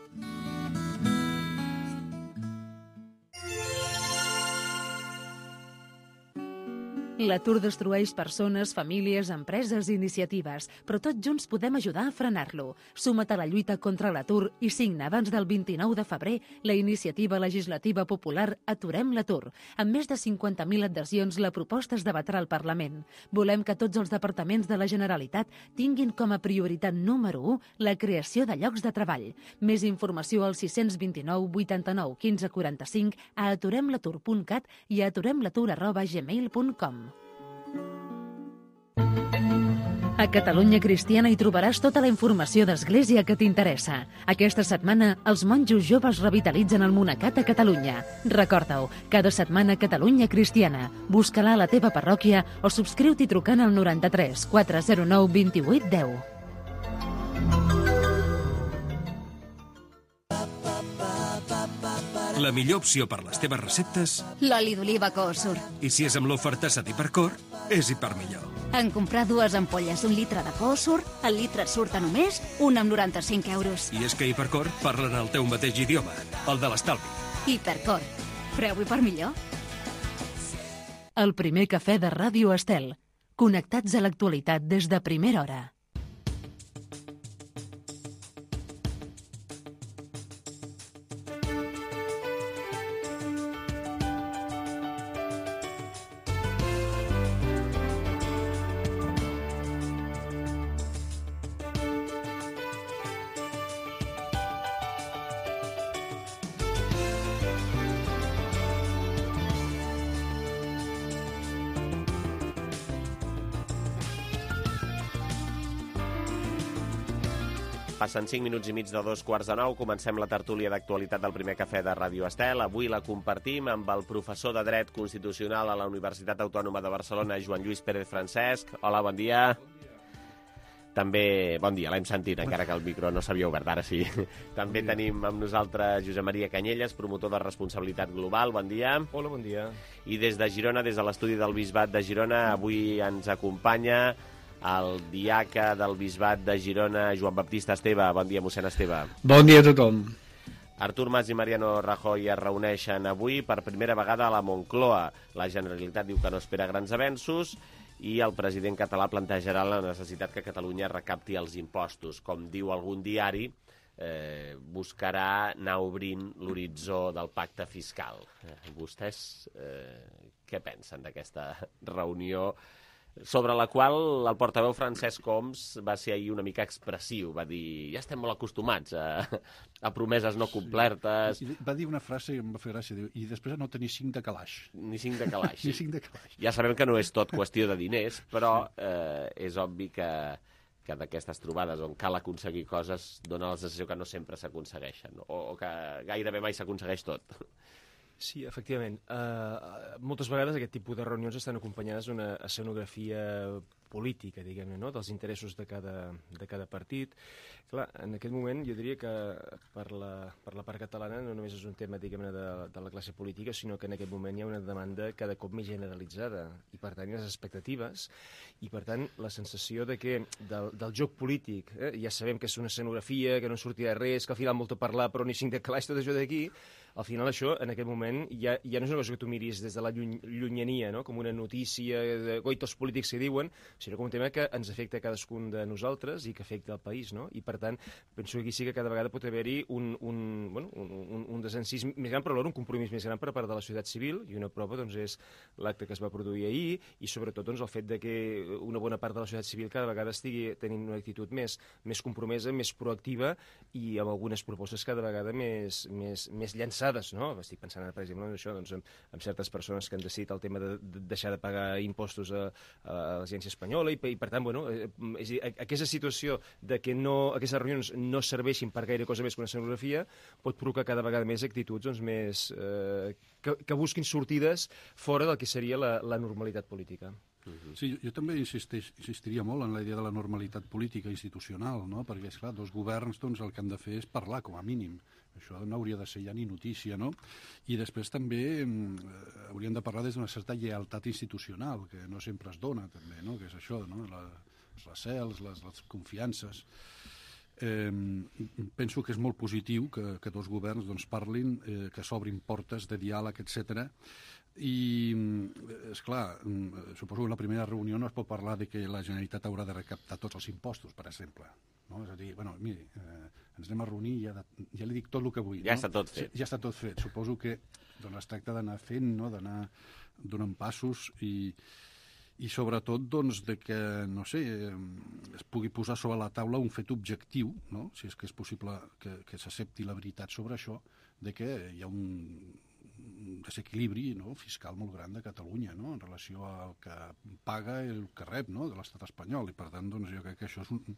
L'atur destrueix persones, famílies, empreses i iniciatives, però tots junts podem ajudar a frenar-lo. Suma't a la lluita contra l'atur i signa abans del vint-i-nou de febrer la iniciativa legislativa popular Aturem l'atur. Amb més de cinquanta mil adhesions, la proposta es debatrà al Parlament. Volem que tots els departaments de la Generalitat tinguin com a prioritat número u la creació de llocs de treball. Més informació al sis dos nou, vuitanta-nou, quinze, quaranta-cinc, a aturem l'atur punt cat i a aturemlatur arroba gmail punt com. A Catalunya Cristiana hi trobaràs tota la informació d'Església que t'interessa. Aquesta setmana, els monjos joves revitalitzen el monacat a Catalunya. Recorda-ho, cada setmana Catalunya Cristiana. Busca-la a la teva parròquia o subscriu-t'hi trucant al noranta-tres, quatre zero nou, vint-i-vuit, deu. La millor opció per les teves receptes... L'oli d'oliva Coosur. I si és amb l'oferta Sat Hipercor, és Hipermillor. En comprar dues ampolles d'un litre de Coosur, el litre et surt a només un amb noranta-cinc euros. I és que Hipercor parlen el teu mateix idioma, el de l'estalvi. Hipercor. Preu Hipermillor. El primer cafè de Ràdio Estel. Connectats a l'actualitat des de primera hora. Passen cinc minuts i mig de dos quarts de nou. Comencem la tertúlia d'actualitat del primer cafè de Ràdio Estel. Avui la compartim amb el professor de Dret Constitucional a la Universitat Autònoma de Barcelona, Joan Lluís Pérez Francesc. Hola, bon dia. També, bon dia, l'hem sentit, encara que el micro no s'havia obert, ara sí. També bon tenim amb nosaltres Josep Maria Canyelles, promotor de responsabilitat global. Bon dia. Hola, bon dia. I des de Girona, des de l'estudi del Bisbat de Girona, avui ens acompanya el diaca del Bisbat de Girona, Joan Baptista Esteve. Bon dia, mossèn Esteve. Bon dia a tothom. Artur Mas i Mariano Rajoy es reuneixen avui per primera vegada a la Moncloa. La Generalitat diu que no espera grans avenços i el president català plantejarà la necessitat que Catalunya recapti els impostos. Com diu algun diari, eh, buscarà anar obrint l'horitzó del pacte fiscal. Eh, vostès eh, què pensen d'aquesta reunió, sobre la qual el portaveu Francesc Homs va ser ahir una mica expressiu? Va dir, ja estem molt acostumats a, a promeses no complertes. Sí. Va dir una frase que em va fer gràcia, diu, i després no tenir cinc de calaix. Ni cinc de calaix. Ni cinc de calaix. Ja sabem que no és tot qüestió de diners, però eh, és obvi que, que d'aquestes trobades on cal aconseguir coses dona la sensació que no sempre s'aconsegueixen, o, o que gairebé mai s'aconsegueix tot. Sí, efectivament. Uh, moltes vegades aquest tipus de reunions estan acompanyades d'una escenografia política, diguem-ne, no? Dels interessos de cada, de cada partit. Clar, en aquest moment jo diria que per la, per la part catalana no només és un tema, diguem-ne, de, de la classe política, sinó que en aquest moment hi ha una demanda cada cop més generalitzada i, per tant, hi ha les expectatives i, per tant, la sensació de que del, del joc polític, eh, ja sabem que és una escenografia, que no sortirà res, que al final molt a parlar però ni cinc de calaix, tot això d'aquí, al final això, en aquest moment, ja, ja no és una cosa que tu miris des de la lluny, llunyania, no? Com una notícia de goitos polítics que diuen, sinó com un tema que ens afecta a cadascun de nosaltres i que afecta el país, no? I, per tant, penso que aquí sí que cada vegada pot haver-hi un, un, bueno, un, un, un desencís més gran, però alhora un compromís més gran per part de la societat civil, i una prova doncs, és l'acte que es va produir ahir, i sobretot doncs, el fet de que una bona part de la societat civil cada vegada estigui tenint una actitud més, més compromesa, més proactiva, i amb algunes propostes cada vegada més, més, més llançades. No? Estic pensant ara, per exemple, en això, doncs, amb, amb certes persones que han decidit el tema de, de deixar de pagar impostos a, a l'agència espanyola i, i per tant, bueno, és dir, aquesta situació de que no, aquestes reunions no serveixin per gaire cosa més que una escenografia pot provocar cada vegada més actituds doncs, més, eh, que, que busquin sortides fora del que seria la, la normalitat política. Sí, jo també insisteix, insistiria molt en la idea de la normalitat política institucional, no? Perquè, esclar, dos governs doncs, el que han de fer és parlar, com a mínim. Això no hauria de ser ja ni notícia, no? I després també eh, hauríem de parlar des d'una certa lleialtat institucional, que no sempre es dona, també, no? Que és això, no? La, les recels, les, les confiances. Eh, penso que és molt positiu que, que dos governs doncs, parlin, eh, que s'obrin portes de diàleg, etcètera, I, esclar, suposo que en la primera reunió no es pot parlar de que la Generalitat haurà de recaptar tots els impostos, per exemple. No? És a dir, bueno, miri, eh, ens anem a reunir i ja, de, ja li dic tot el que vull. Ja no? està tot fet. Ja està tot fet. Suposo que doncs, es tracta d'anar fent, no? D'anar donant passos i, i sobretot doncs, de que, no sé, es pugui posar sobre la taula un fet objectiu, no? Si és que és possible que, que s'accepti la veritat sobre això, de que hi ha un desequilibri, no? Fiscal molt gran de Catalunya, no? En relació al que paga i el que rep, no? De l'estat espanyol, i per tant doncs, jo crec que això és, un,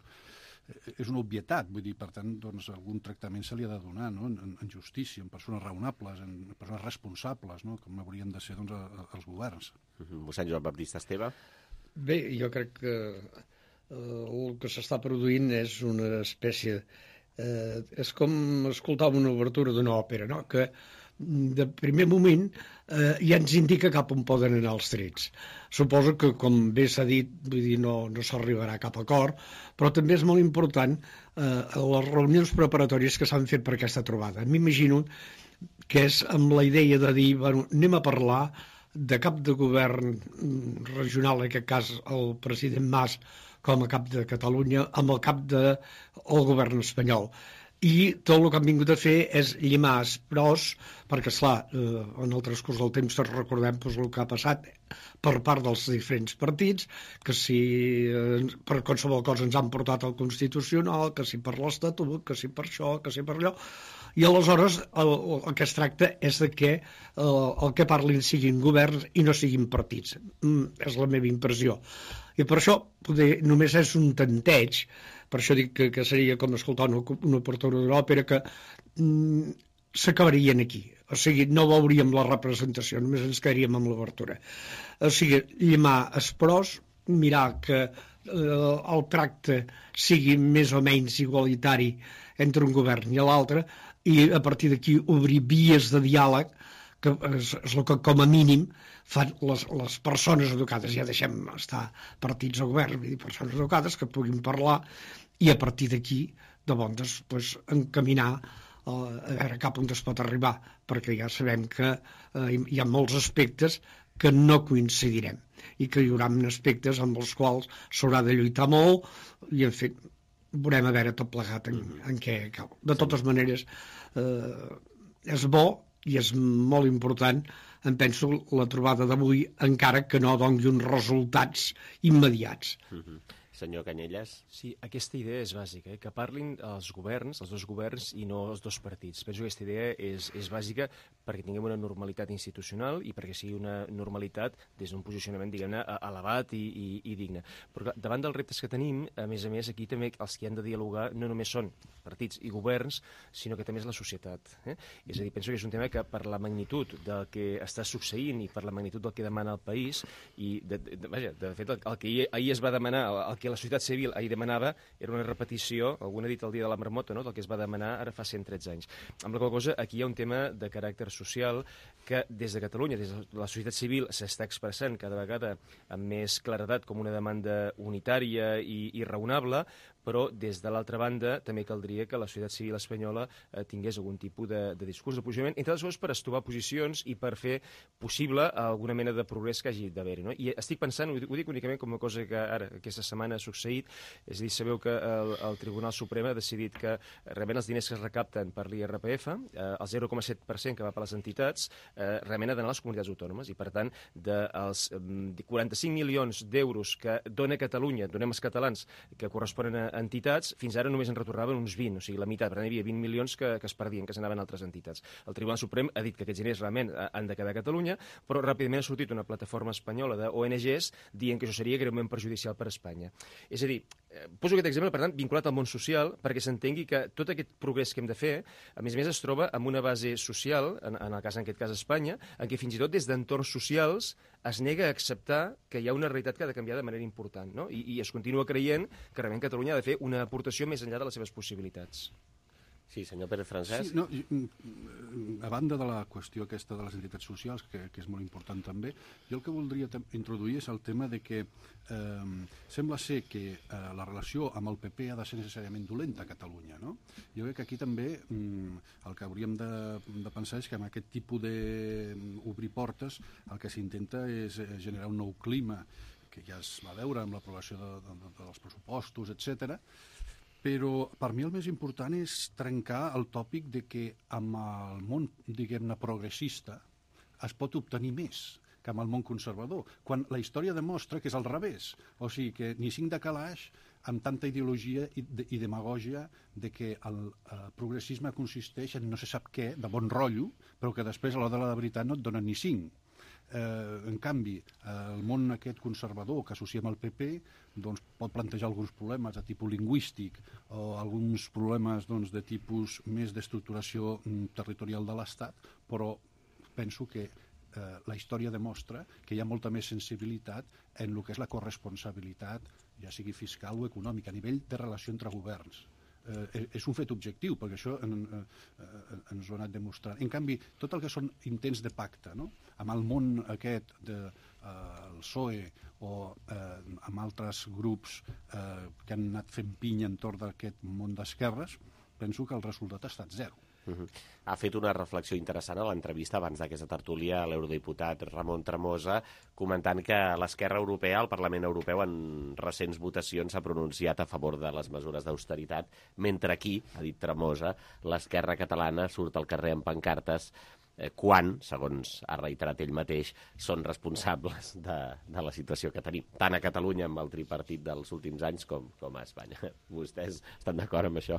és una obvietat, vull dir, per tant doncs, algun tractament se li ha de donar, no? en, en justícia, en persones raonables, en persones responsables, no? Com haurien de ser doncs, els governs. Uh-huh. Mossèn Joan Baptista Esteve. Bé, jo crec que eh, el que s'està produint és una espècie... Eh, és com escoltar una obertura d'una òpera, no? Que de primer moment eh, ja ens indica cap on poden anar els trets. Suposo que, com bé s'ha dit, vull dir, no, no s'arribarà a cap acord, però també és molt important eh, les reunions preparatòries que s'han fet per aquesta trobada. M'imagino que és amb la idea de dir, bueno, anem a parlar de cap de govern regional, en aquest cas el president Mas, com a cap de Catalunya, amb el cap del govern espanyol. I tot el que han vingut a fer és llimar pros, perquè, esclar, eh, en el transcurs del temps tots recordem doncs, el que ha passat per part dels diferents partits, que si eh, per qualsevol cosa ens han portat al Constitucional, que si per l'Estatut, que si per això, que si per allò, i aleshores el, el que es tracta és de que eh, el que parlin siguin governs i no siguin partits. Mm, és la meva impressió. I per això poder, només és un tanteig, per això dic que, que seria com escoltar una, una obertura d'òpera que mm, s'acabarien aquí. O sigui, no veuríem la representació, només ens quedaríem amb l'obertura. O sigui, llimar els pros, mirar que eh, el tracte sigui més o menys igualitari entre un govern i l'altre, i a partir d'aquí obrir vies de diàleg, que és, és el que com a mínim fan les, les persones educades, ja deixem estar partits o govern, vull dir, persones educades que puguin parlar i a partir d'aquí de bon doncs, pues, encaminar uh, a veure cap on es pot arribar, perquè ja sabem que uh, hi ha molts aspectes que no coincidirem i que hi haurà aspectes amb els quals s'haurà de lluitar molt i en fi, veurem a veure tot plegat en, en què cau. De totes maneres eh, és bo i és molt important, em penso, la trobada d'avui, encara que no doni uns resultats immediats. Uh-huh. Senyor Canyelles. Sí, aquesta idea és bàsica, eh? Que parlin els governs, els dos governs i no els dos partits. Penso que aquesta idea és, és bàsica perquè tinguem una normalitat institucional i perquè sigui una normalitat des d'un posicionament, diguem-ne, elevat i, i, i digne. Però clar, davant dels reptes que tenim, a més a més, aquí també els que han de dialogar no només són partits i governs, sinó que també és la societat. Eh? És a dir, penso que és un tema que per la magnitud del que està succeint i per la magnitud del que demana el país, i de, de, de, vaja, de fet, el, el que ahir, ahir es va demanar, el, el que la societat civil ahir demanava era una repetició, algú ha dit el dia de la marmota, no?, del que es va demanar ara fa cent tretze anys. Amb la qual cosa, aquí hi ha un tema de caràcter social que des de Catalunya, des de la societat civil, s'està expressant cada vegada amb més claredat com una demanda unitària i, i raonable, però des de l'altra banda també caldria que la societat civil espanyola eh, tingués algun tipus de, de discurs de posicionament, entre altres coses per estovar posicions i per fer possible alguna mena de progrés que hagi d'haver-hi. No? I estic pensant, ho dic, ho dic únicament com una cosa que ara, aquesta setmana ha succeït, és a dir, sabeu que el, el Tribunal Suprem ha decidit que realment els diners que es recapten per l'I R P F, eh, el zero coma set per cent que va per les entitats, eh, realment ha d'anar a les comunitats autònomes, i per tant, dels de quaranta-cinc milions d'euros que dona Catalunya, donem els catalans, que corresponen a entitats, fins ara només en retornaven uns vint, o sigui, la meitat. Per tant, hi havia vint milions que, que es perdien, que s'anaven a altres entitats. El Tribunal Suprem ha dit que aquests diners realment han de quedar a Catalunya, però ràpidament ha sortit una plataforma espanyola d'O N Ges dient que això seria greument perjudicial per a Espanya. És a dir, poso aquest exemple, per tant, vinculat al món social, perquè s'entengui que tot aquest progrés que hem de fer, a més a més, es troba amb una base social, en, en el cas, en aquest cas, Espanya, en què fins i tot des d'entorns socials es nega a acceptar que hi ha una realitat que ha de canviar de manera important, no? I, i es continua creient que realment Catalunya ha de fer una aportació més enllà de les seves possibilitats. Sí, senyor Pérez Francesc. Sí, no, a banda de la qüestió aquesta de les entitats socials, que, que és molt important també, jo el que voldria introduir és el tema de que eh, sembla ser que eh, la relació amb el P P ha de ser necessàriament dolenta a Catalunya, no? Jo crec que aquí també mm, el que hauríem de, de pensar és que amb aquest tipus d'obrir portes el que s'intenta és generar un nou clima que ja es va veure amb l'aprovació de, de, de, dels pressupostos, etcètera. Però per mi el més important és trencar el tòpic de que amb el món, diguem-ne, progressista es pot obtenir més que amb el món conservador, quan la història demostra que és al revés. O sigui, que ni cinc de calaix amb tanta ideologia i, de, i demagògia de que el eh, progressisme consisteix en no se sap què, de bon rotllo, però que després a l'hora de la veritat no et donen ni cinc. Eh, en canvi, eh, el món aquest conservador que associem al P P doncs, pot plantejar alguns problemes de tipus lingüístic o alguns problemes doncs, de tipus més d'estructuració mm, territorial de l'Estat, però penso que eh, la història demostra que hi ha molta més sensibilitat en el que és la corresponsabilitat, ja sigui fiscal o econòmica, a nivell de relació entre governs. Eh, és un fet objectiu, perquè això en, eh, ens ho ha anat demostrant. En canvi, tot el que són intents de pacte, no? Amb el món aquest del de, eh, P S O E o eh, amb altres grups eh, que han anat fent pinya entorn d'aquest món d'esquerres, penso que el resultat ha estat zero. Uh-huh. Ha fet una reflexió interessant a l'entrevista abans d'aquesta tertúlia a l'eurodiputat Ramon Tremosa, comentant que l'esquerra europea, el Parlament Europeu, en recents votacions s'ha pronunciat a favor de les mesures d'austeritat, mentre aquí, ha dit Tremosa, l'esquerra catalana surt al carrer amb pancartes eh, quan, segons ha reiterat ell mateix, són responsables de, de la situació que tenim, tant a Catalunya amb el tripartit dels últims anys com, com a Espanya. Vostès estan d'acord amb això?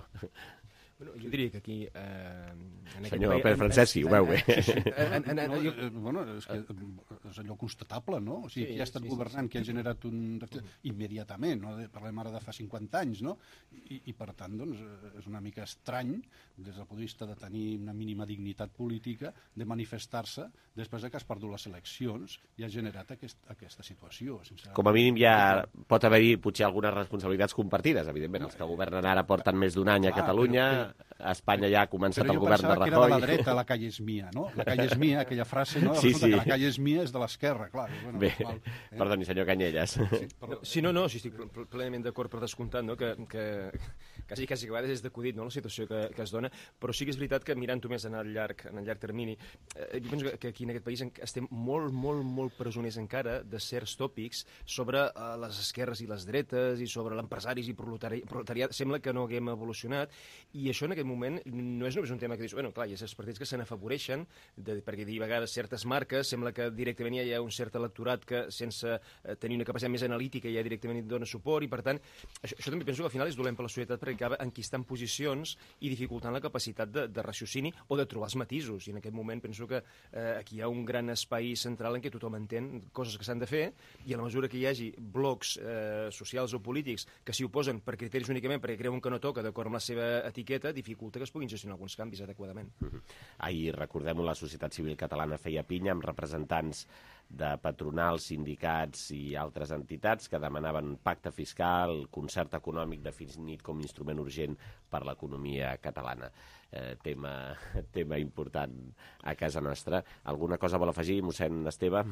Bueno, jo diria que aquí... Eh, en Senyor Pérez Francesc, sí, ho veu bé. Sí, sí. En, en, en, no, eh, bueno, és, que és allò constatable, no? O sigui, sí, qui ha estat sí, governant, sí, qui ha generat un... immediatament, no? Parlem ara de fa cinquanta anys, no? I, i per tant, doncs, és una mica estrany, des del punt de vista de tenir una mínima dignitat política, de manifestar-se després que has perdut les eleccions i ha generat aquest, aquesta situació. Sense... Com a mínim ja pot haver-hi potser algunes responsabilitats compartides, evidentment. Els que governen ara porten més d'un any a Catalunya... Però, però... A Espanya ja ha començat el govern de Rajoy. Però jo pensava que era de la dreta, la calle és mia, no? La calle és mia, aquella frase, no? Sí, sí. Que la calle és mia és de l'esquerra, clar. Bueno, bé, igual, eh? Perdoni, senyor Canyelles. Sí, però... sí, no, no, sí, estic plenament d'acord per descomptat, no? Que, que quasi, quasi a vegades és d'acudit, no?, la situació que, que es dona, però sí que és veritat que mirant-ho més en el llarg, en el llarg termini, eh, jo penso que aquí en aquest país estem molt, molt, molt presoners encara de certs tòpics sobre eh, les esquerres i les dretes i sobre l'empresaris i proletari, proletariat. Sembla que no haguem evolucionat i això en aquest moment no és només un tema que dius, bueno, clar, hi ha certs partits que se n'afavoreixen, perquè dir a vegades certes marques, sembla que directament hi ha un cert electorat que sense eh, tenir una capacitat més analítica ja directament hi dona suport i per tant, això, això també penso que al final és dolent per la societat perquè acaba enquistant posicions i dificultant la capacitat de, de raciocini o de trobar els matisos i en aquest moment penso que eh, aquí hi ha un gran espai central en què tothom entén coses que s'han de fer i a la mesura que hi hagi blocs eh, socials o polítics que s'hi oposen per criteris únicament perquè creuen que no toca d'acord amb la seva etiqueta, dificulta que es puguin gestionar alguns canvis adequadament. Uh-huh. Ahir, recordem-ho, la societat civil catalana feia pinya amb representants de patronals, sindicats i altres entitats que demanaven pacte fiscal, concert econòmic definit com a instrument urgent per l'economia catalana. Eh, tema, tema important a casa nostra. Alguna cosa vol afegir, mossèn Esteve?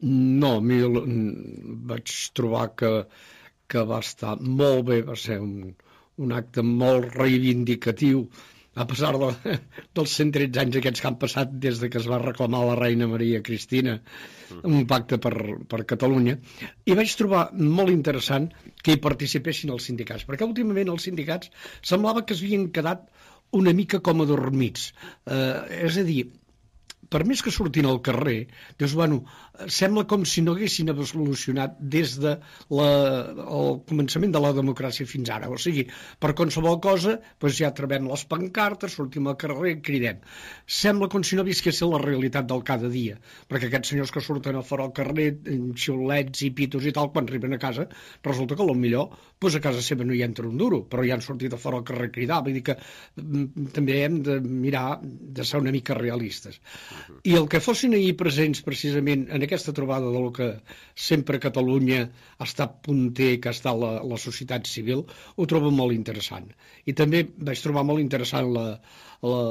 No, a mi vaig trobar que, que va estar molt bé, va ser un, un acte molt reivindicatiu a pesar de, dels cent tretze anys aquests que han passat des de que es va reclamar la reina Maria Cristina un pacte per, per Catalunya, i vaig trobar molt interessant que hi participessin els sindicats, perquè últimament els sindicats semblava que s'havien quedat una mica com adormits, eh, és a dir, per més que surtin al carrer, dius, bueno, sembla com si no haguessin evolucionat des de la, el començament de la democràcia fins ara. O sigui, per qualsevol cosa, doncs ja trobem les pancartes, sortim al carrer i cridem. Sembla com si no visquessin la realitat del cada dia, perquè aquests senyors que surten a fora al carrer, xiulets i pitos i tal, quan arriben a casa, resulta que potser doncs a casa seva no hi entra un duro, però ja han sortit a fora al carrer a cridar. Vull dir que també hem de mirar de ser una mica realistes. I el que fossin ahir presents precisament en aquesta trobada del que sempre Catalunya ha estat punter, que ha estat la, la societat civil, ho trobo molt interessant. I també vaig trobar molt interessant la, la,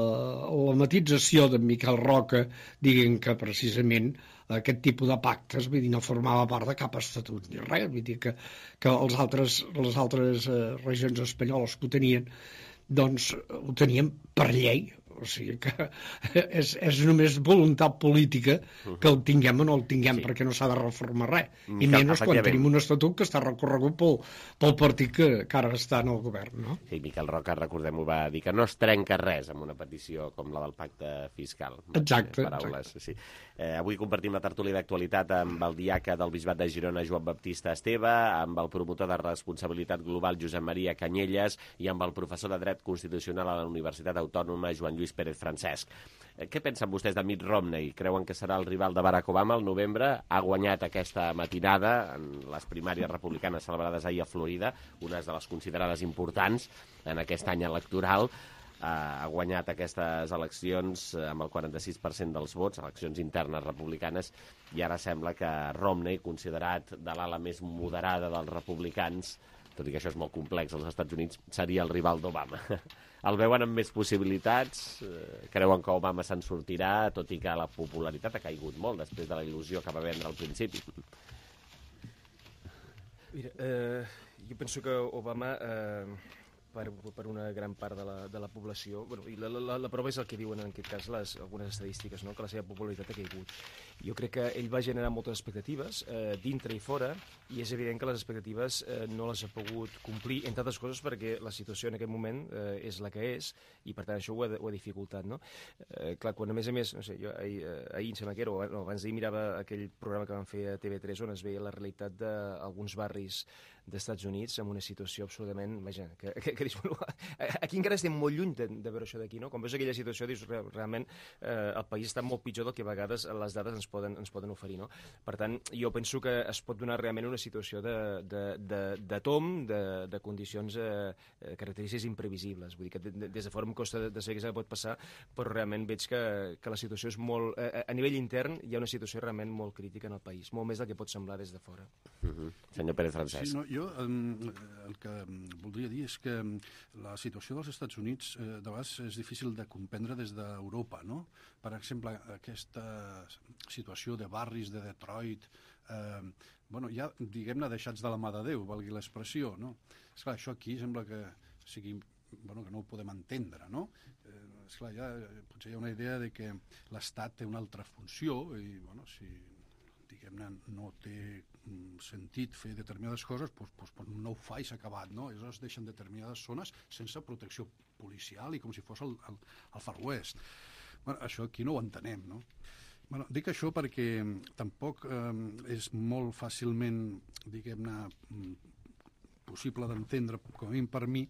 la matització de Miquel Roca, dient que precisament aquest tipus de pactes, vull dir, no formava part de cap estatut ni res, vull dir que, que els altres, les altres eh, regions espanyoles que ho tenien, doncs ho tenien per llei. O sigui que és, és només voluntat política que el tinguem o no el tinguem, sí. perquè no s'ha de reformar res. I menys quan tenim un estatut que està recorregut pel, pel partit que, que ara està en el govern, no? Sí, Miquel Roca, recordem-ho, va dir que no es trenca res amb una petició com la del pacte fiscal. Exacte. Paraules, exacte. Sí. Eh, avui compartim la tertúlia d'actualitat amb el diaca del Bisbat de Girona, Joan Baptista Esteve, amb el promotor de responsabilitat global, Josep Maria Canyelles, i amb el professor de dret constitucional a la Universitat Autònoma, Joan Lluís Pérez Francesc. Què pensen vostès de Mitt Romney? Creuen que serà el rival de Barack Obama al novembre? Ha guanyat aquesta matinada en les primàries republicanes celebrades ahir a Florida, unes de les considerades importants en aquest any electoral. Ha guanyat aquestes eleccions amb el quaranta-sis per cent dels vots, eleccions internes republicanes, i ara sembla que Romney, considerat de l'ala més moderada dels republicans, tot i que això és molt complex als Estats Units, seria el rival d'Obama. El veuen amb més possibilitats? Creuen que Obama se'n sortirà, tot i que la popularitat ha caigut molt després de la il·lusió que va vendre al principi? Mira, eh, jo penso que Obama... Eh... Per, per una gran part de la, de la població. Bueno, i la, la, la prova és el que diuen en aquest cas les, algunes estadístiques, no? Que la seva popularitat ha caigut. Jo crec que ell va generar moltes expectatives, eh, dintre i fora, i és evident que les expectatives eh, no les ha pogut complir, entre altres coses perquè la situació en aquest moment eh, és la que és, i per tant això ho ha, ho ha dificultat, no? Eh, clar, quan a més a més, no sé, jo ahir, ahir em sembla que era, o no, abans d'ahir mirava aquell programa que van fer a T V tres on es veia la realitat d'alguns barris d'Estats Units amb una situació absolutament, vaja, que, que, que dius, bueno, aquí encara estem molt lluny de, de veure això d'aquí, no? Quan veus aquella situació dius, realment eh, el país està molt pitjor del que a vegades les dades ens poden, ens poden oferir, no? Per tant, jo penso que es pot donar realment una situació de, de, de, de tom, de, de condicions eh, característiques imprevisibles, vull dir que de, des de fora em costa de, de saber què pot passar, però realment veig que, que la situació és molt, eh, a nivell intern hi ha una situació realment molt crítica en el país, molt més del que pot semblar des de fora. Uh-huh. Senyor Pérez Francesc. Sí, no, jo um, el que voldria dir és que la situació dels Estats Units eh, de vegades és difícil de comprendre des d'Europa, no? Per exemple, aquesta situació de barris de Detroit, eh, bueno, ja, diguem-ne, deixats de la mà de Déu, valgui l'expressió, no? Esclar, això aquí sembla que sigui, bueno, que no ho podem entendre, no? Eh, esclar, ja, potser hi ha una idea de que l'Estat té una altra funció i, bueno, si diguem-ne, no té sentit fer determinades coses, doncs, doncs no ho fa i s'ha acabat, no? Aleshores deixen determinades zones sense protecció policial i com si fos el, el, el Far West. Bueno, això aquí no ho entenem, no? Bueno, dic això perquè tampoc eh, és molt fàcilment, diguem-ne, possible d'entendre, com a mínim per mi,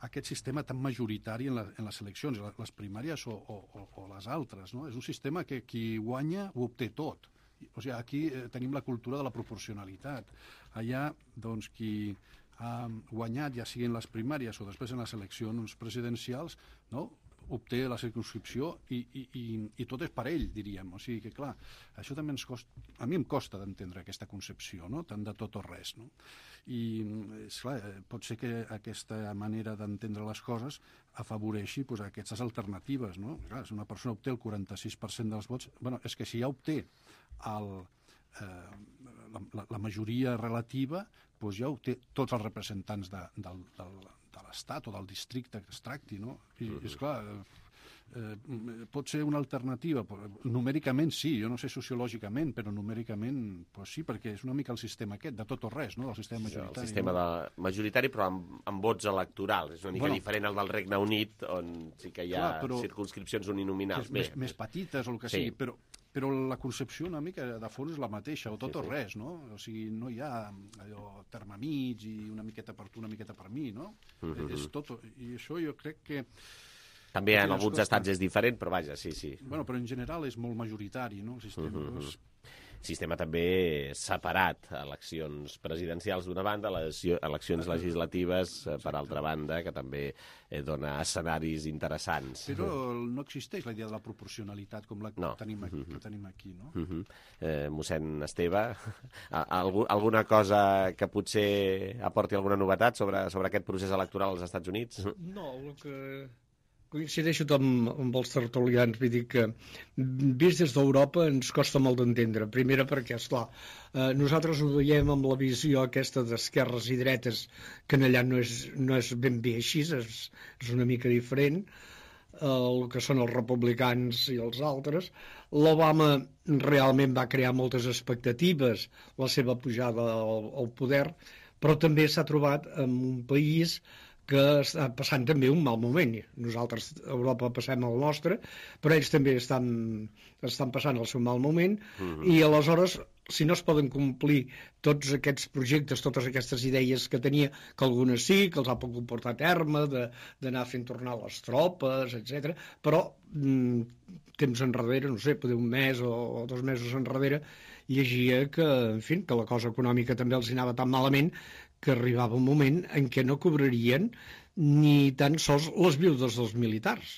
aquest sistema tan majoritari en, la, en les eleccions, les primàries o, o, o les altres, no? És un sistema que qui guanya ho obté tot. O sigui, aquí eh, tenim la cultura de la proporcionalitat. Allà, doncs, qui ha guanyat, ja siguin les primàries o després en les eleccions presidencials, no?, obté la circumscripció i, i, i, i tot és per ell, diríem. O sigui que, clar, això també ens costa, a mi em costa d'entendre aquesta concepció, no?, tant de tot o res, no? I, esclar, pot ser que aquesta manera d'entendre les coses afavoreixi pues, aquestes alternatives, no? Clar, si una persona obté el quaranta-sis per cent dels vots, bueno, és que si ja obté el, eh, la, la, la majoria relativa, doncs ja obté tots els representants de, del, del, de l'Estat o del districte que es tracti, no? I, uh-huh. esclar, eh, pot ser una alternativa, numèricament sí, jo no sé sociològicament, però numèricament pues sí, perquè és una mica el sistema aquest, de tot o res, no?, del sistema majoritari. Sí, el sistema de majoritari, però amb, amb vots electorals. És una mica bueno, diferent al del Regne Unit, on sí que hi ha clar, circumscripcions uninominals. Més, més petites o el que sí. sigui, però però la concepció una mica de fons és la mateixa, o tot sí, sí. o res, no? O sigui, no hi ha allò terme mig i una miqueta per tu, una miqueta per mi, no? Uh-huh. És tot, i això jo crec que... També en alguns estats és diferent, però vaja, sí, sí. Bueno, però en general és molt majoritari, no?, el sistema. Uh-huh. Doncs... sistema també separat, eleccions presidencials d'una banda, eleccions legislatives per altra banda, que també dona escenaris interessants. Però no existeix la idea de la proporcionalitat com la que no. tenim, aquí, que tenim aquí, no? Uh -huh. eh, mossèn Esteve, algú, alguna cosa que potser aporti alguna novetat sobre, sobre aquest procés electoral als Estats Units? No, el que... Coincideixo amb, amb els tertulians, vull dir que vist des d'Europa ens costa molt d'entendre. Primera perquè, esclar, eh, nosaltres ho veiem amb la visió aquesta d'esquerres i dretes, que en allà no és, no és ben bé així, és, és una mica diferent, eh, el que són els republicans i els altres. L'Obama realment va crear moltes expectatives, la seva pujada al, al poder, però també s'ha trobat en un país que està passant també un mal moment. Nosaltres a Europa passem el nostre, però ells també estan, estan passant el seu mal moment, uh-huh. i aleshores, si no es poden complir tots aquests projectes, totes aquestes idees que tenia, que algunes sí, que els ha pogut portar a terme, d'anar fent tornar les tropes, etcètera, però mm, temps enrere, no sé, poder un mes o, o dos mesos enrere, llegia que, en fi, que la cosa econòmica també els anava tan malament que arribava un moment en què no cobrarien ni tan sols les viudes dels militars.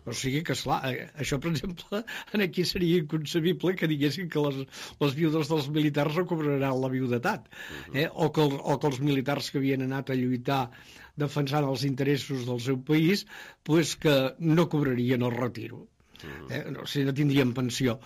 O sigui que, esclar, això, per exemple, aquí seria inconcebible que diguessin que les, les viudes dels militars no cobraran la viudetat, eh? o, que, o que els militars que havien anat a lluitar defensant els interessos del seu país, pues que no cobrarien el retiro. Eh? No, si no tindrien pensió.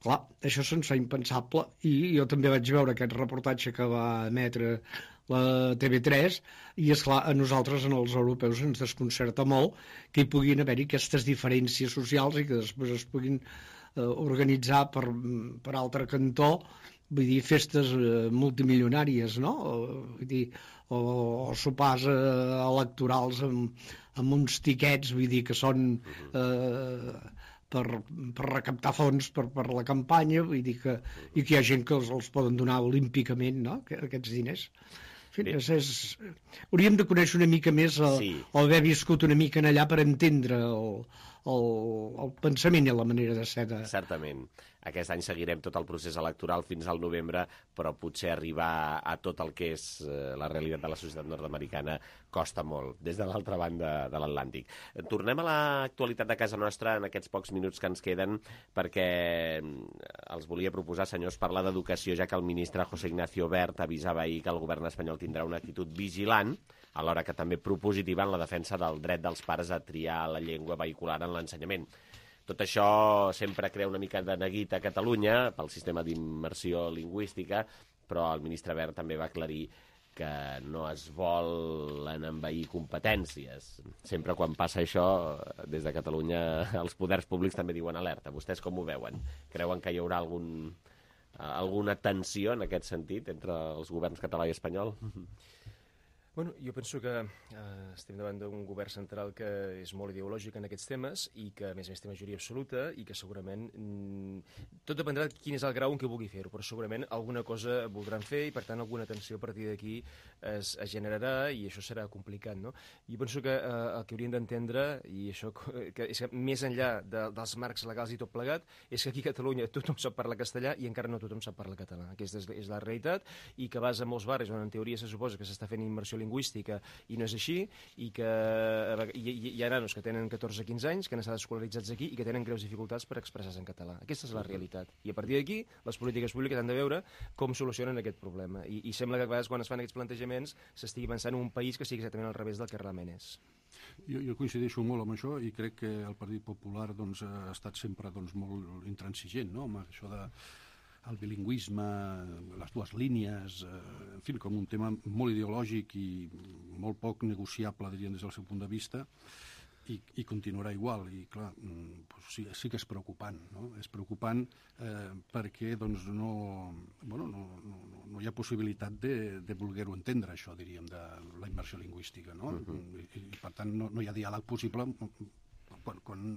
Clar, això se'ns fa impensable, i jo també vaig veure aquest reportatge que va emetre la T V tres, i esclar, a nosaltres, en els europeus, ens desconcerta molt que hi puguin haver-hi aquestes diferències socials i que després es puguin eh, organitzar per, per altre cantó, vull dir, festes eh, multimilionàries, no? O, vull dir, o, o sopars eh, electorals amb, amb uns tiquets, vull dir, que són eh, per, per recaptar fons per, per la campanya, vull dir que, i que hi ha gent que els, els poden donar olímpicament, no?, aquests diners. En fi, és, és... hauríem de conèixer una mica més el, sí. o haver viscut una mica en allà per entendre el, el, el pensament i la manera de ser de... Certament. Aquest any seguirem tot el procés electoral fins al novembre, però potser arribar a tot el que és eh, la realitat de la societat nord-americana costa molt, des de l'altra banda de l'Atlàntic. Tornem a l'actualitat de casa nostra en aquests pocs minuts que ens queden, perquè els volia proposar, senyors, parlar d'educació, ja que el ministre José Ignacio Wert avisava ahir que el govern espanyol tindrà una actitud vigilant, alhora que també propositiva en la defensa del dret dels pares a triar la llengua vehicular en l'ensenyament. Tot això sempre crea una mica de neguit a Catalunya pel sistema d'immersió lingüística, però el ministre Wert també va aclarir que no es volen envair competències. Sempre quan passa això, des de Catalunya, els poders públics també diuen alerta. Vostès com ho veuen? Creuen que hi haurà algun, alguna tensió en aquest sentit entre els governs català i espanyol? Bueno, jo penso que eh, estem davant d'un govern central que és molt ideològic en aquests temes i que, a més a més, té majoria absoluta i que segurament mm, tot dependrà de quin és el grau en què vulgui fer-ho, però segurament alguna cosa voldran fer i, per tant, alguna tensió a partir d'aquí es, es generarà i això serà complicat, no? Jo penso que eh, el que hauríem d'entendre, i això que és que més enllà de, dels marcs legals i tot plegat, és que aquí a Catalunya tothom sap parlar castellà i encara no tothom sap parlar català. Aquesta és, és la realitat, i que vas a molts barris on en teoria se suposa que s'està fent immersió lingüística lingüística i no és així, i que hi, hi ha nanos que tenen catorze quinze anys, que han estat escolaritzats aquí i que tenen greus dificultats per expressar-se en català. Aquesta és la realitat. I a partir d'aquí, les polítiques públiques han de veure com solucionen aquest problema. I, i sembla que a vegades quan es fan aquests plantejaments s'estigui pensant en un país que sigui exactament al revés del que realment és. Jo, jo coincideixo molt amb això i crec que el Partit Popular doncs, ha estat sempre doncs, molt intransigent, no?, amb això de el bilingüisme, les dues línies, eh, en fi, com un tema molt ideològic i molt poc negociable, diríem, des del seu punt de vista, i, i continuarà igual. I, clar, doncs sí, sí que és preocupant, no? És preocupant eh, perquè doncs, no, bueno, no, no, no hi ha possibilitat de, de voler-ho entendre, això, diríem, de la immersió lingüística, no? Uh-huh. I, i, per tant, no, no hi ha diàleg possible quan... quan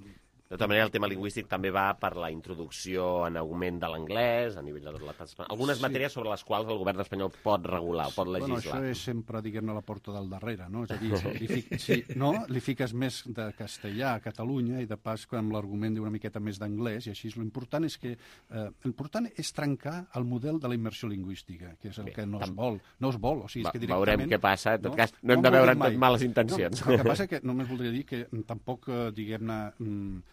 De tota manera, el tema lingüístic també va per la introducció en augment de l'anglès, a nivell de l'estat espanyol. Algunes sí. matèries sobre les quals el govern espanyol pot regular, o pot legislar. Bueno, això és sempre, diguem-ne, la porta del darrere, no? És a dir, li, fic, sí, no? li fiques més de castellà a Catalunya i de pas amb l'argument d'una miqueta més d'anglès, i així l'important és que eh, l'important és trencar el model de la immersió lingüística, que és el Bé, que no es vol. No es vol, o sigui, és que directament... Veurem què passa, en tot no? cas, no hem no de veure tot males intencions. No, el que passa és que només voldria dir que tampoc, diguem-ne,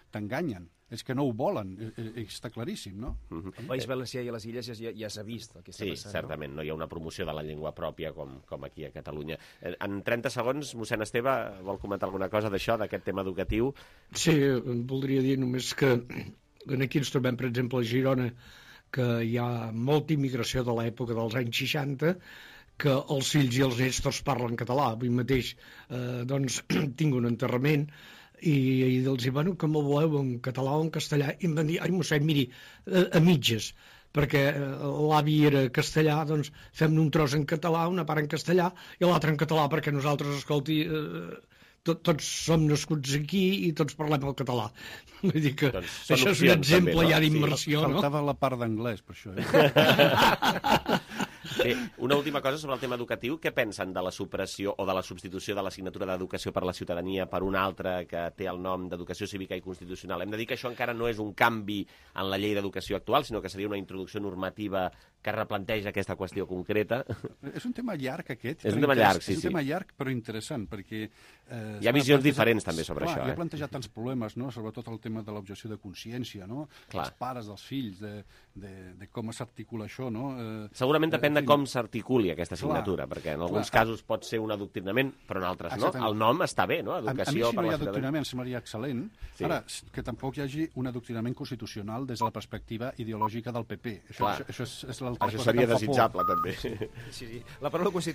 t'enganyen. És que no ho volen, està claríssim, no? Uh-huh. El País Valencià i a les Illes ja, ja s'ha vist el que està sí, passant. Sí, certament, no? no hi ha una promoció de la llengua pròpia com, com aquí a Catalunya. En trenta segons, mossèn Esteve, vol comentar alguna cosa d'això, d'aquest tema educatiu? Sí, voldria dir només que aquí ens trobem, per exemple, a Girona, que hi ha molta immigració de l'època dels anys seixanta, que els fills i els nets tots parlen català. Avui mateix eh, doncs, tinc un enterrament i, i els dic, bueno, com ho voleu, en català o en castellà? I em van dir, ai, mossèn, miri, a, a mitges, perquè l'avi era castellà, doncs fem un tros en català, una part en castellà i l'altra en català, perquè nosaltres, escolti, eh, tot, tots som nascuts aquí i tots parlem el català. Vull dir que doncs això és un exemple també, no? ja d'immersió, sí, no? Faltava la part d'anglès, per això. Eh? Bé, una última cosa sobre el tema educatiu. Què pensen de la supressió o de la substitució de l'assignatura d'Educació per la Ciutadania per una altra que té el nom d'Educació Cívica i Constitucional? Hem de dir que això encara no és un canvi en la llei d'educació actual, sinó que seria una introducció normativa que replanteja aquesta qüestió concreta. És un tema llarg, aquest. És un tema llarg, sí, sí. És un tema llarg, però interessant, perquè... Eh, hi ha visions diferents, també, sobre clar, això. Hi ha eh? plantejat tants problemes, no? Sobretot el tema de l'objecció de consciència, no? Clar. Els pares dels fills, de, de, de com s'articula això, no? Eh, Segurament depèn eh, de com s'articuli aquesta assignatura, clar, perquè en alguns clar. casos pot ser un adoctrinament, però en altres Exactament. no. El nom està bé, no? Educació a, a mi, si no per hi la ha adoctrinament, semblaria excel·lent. Sí. Ara, que tampoc hi hagi un adoctrinament constitucional des de la perspectiva ideològica del P P. Això, això, això és, és l'altra cosa seria que em fa desitjable, por. també. Sí, sí. La paraula constitucional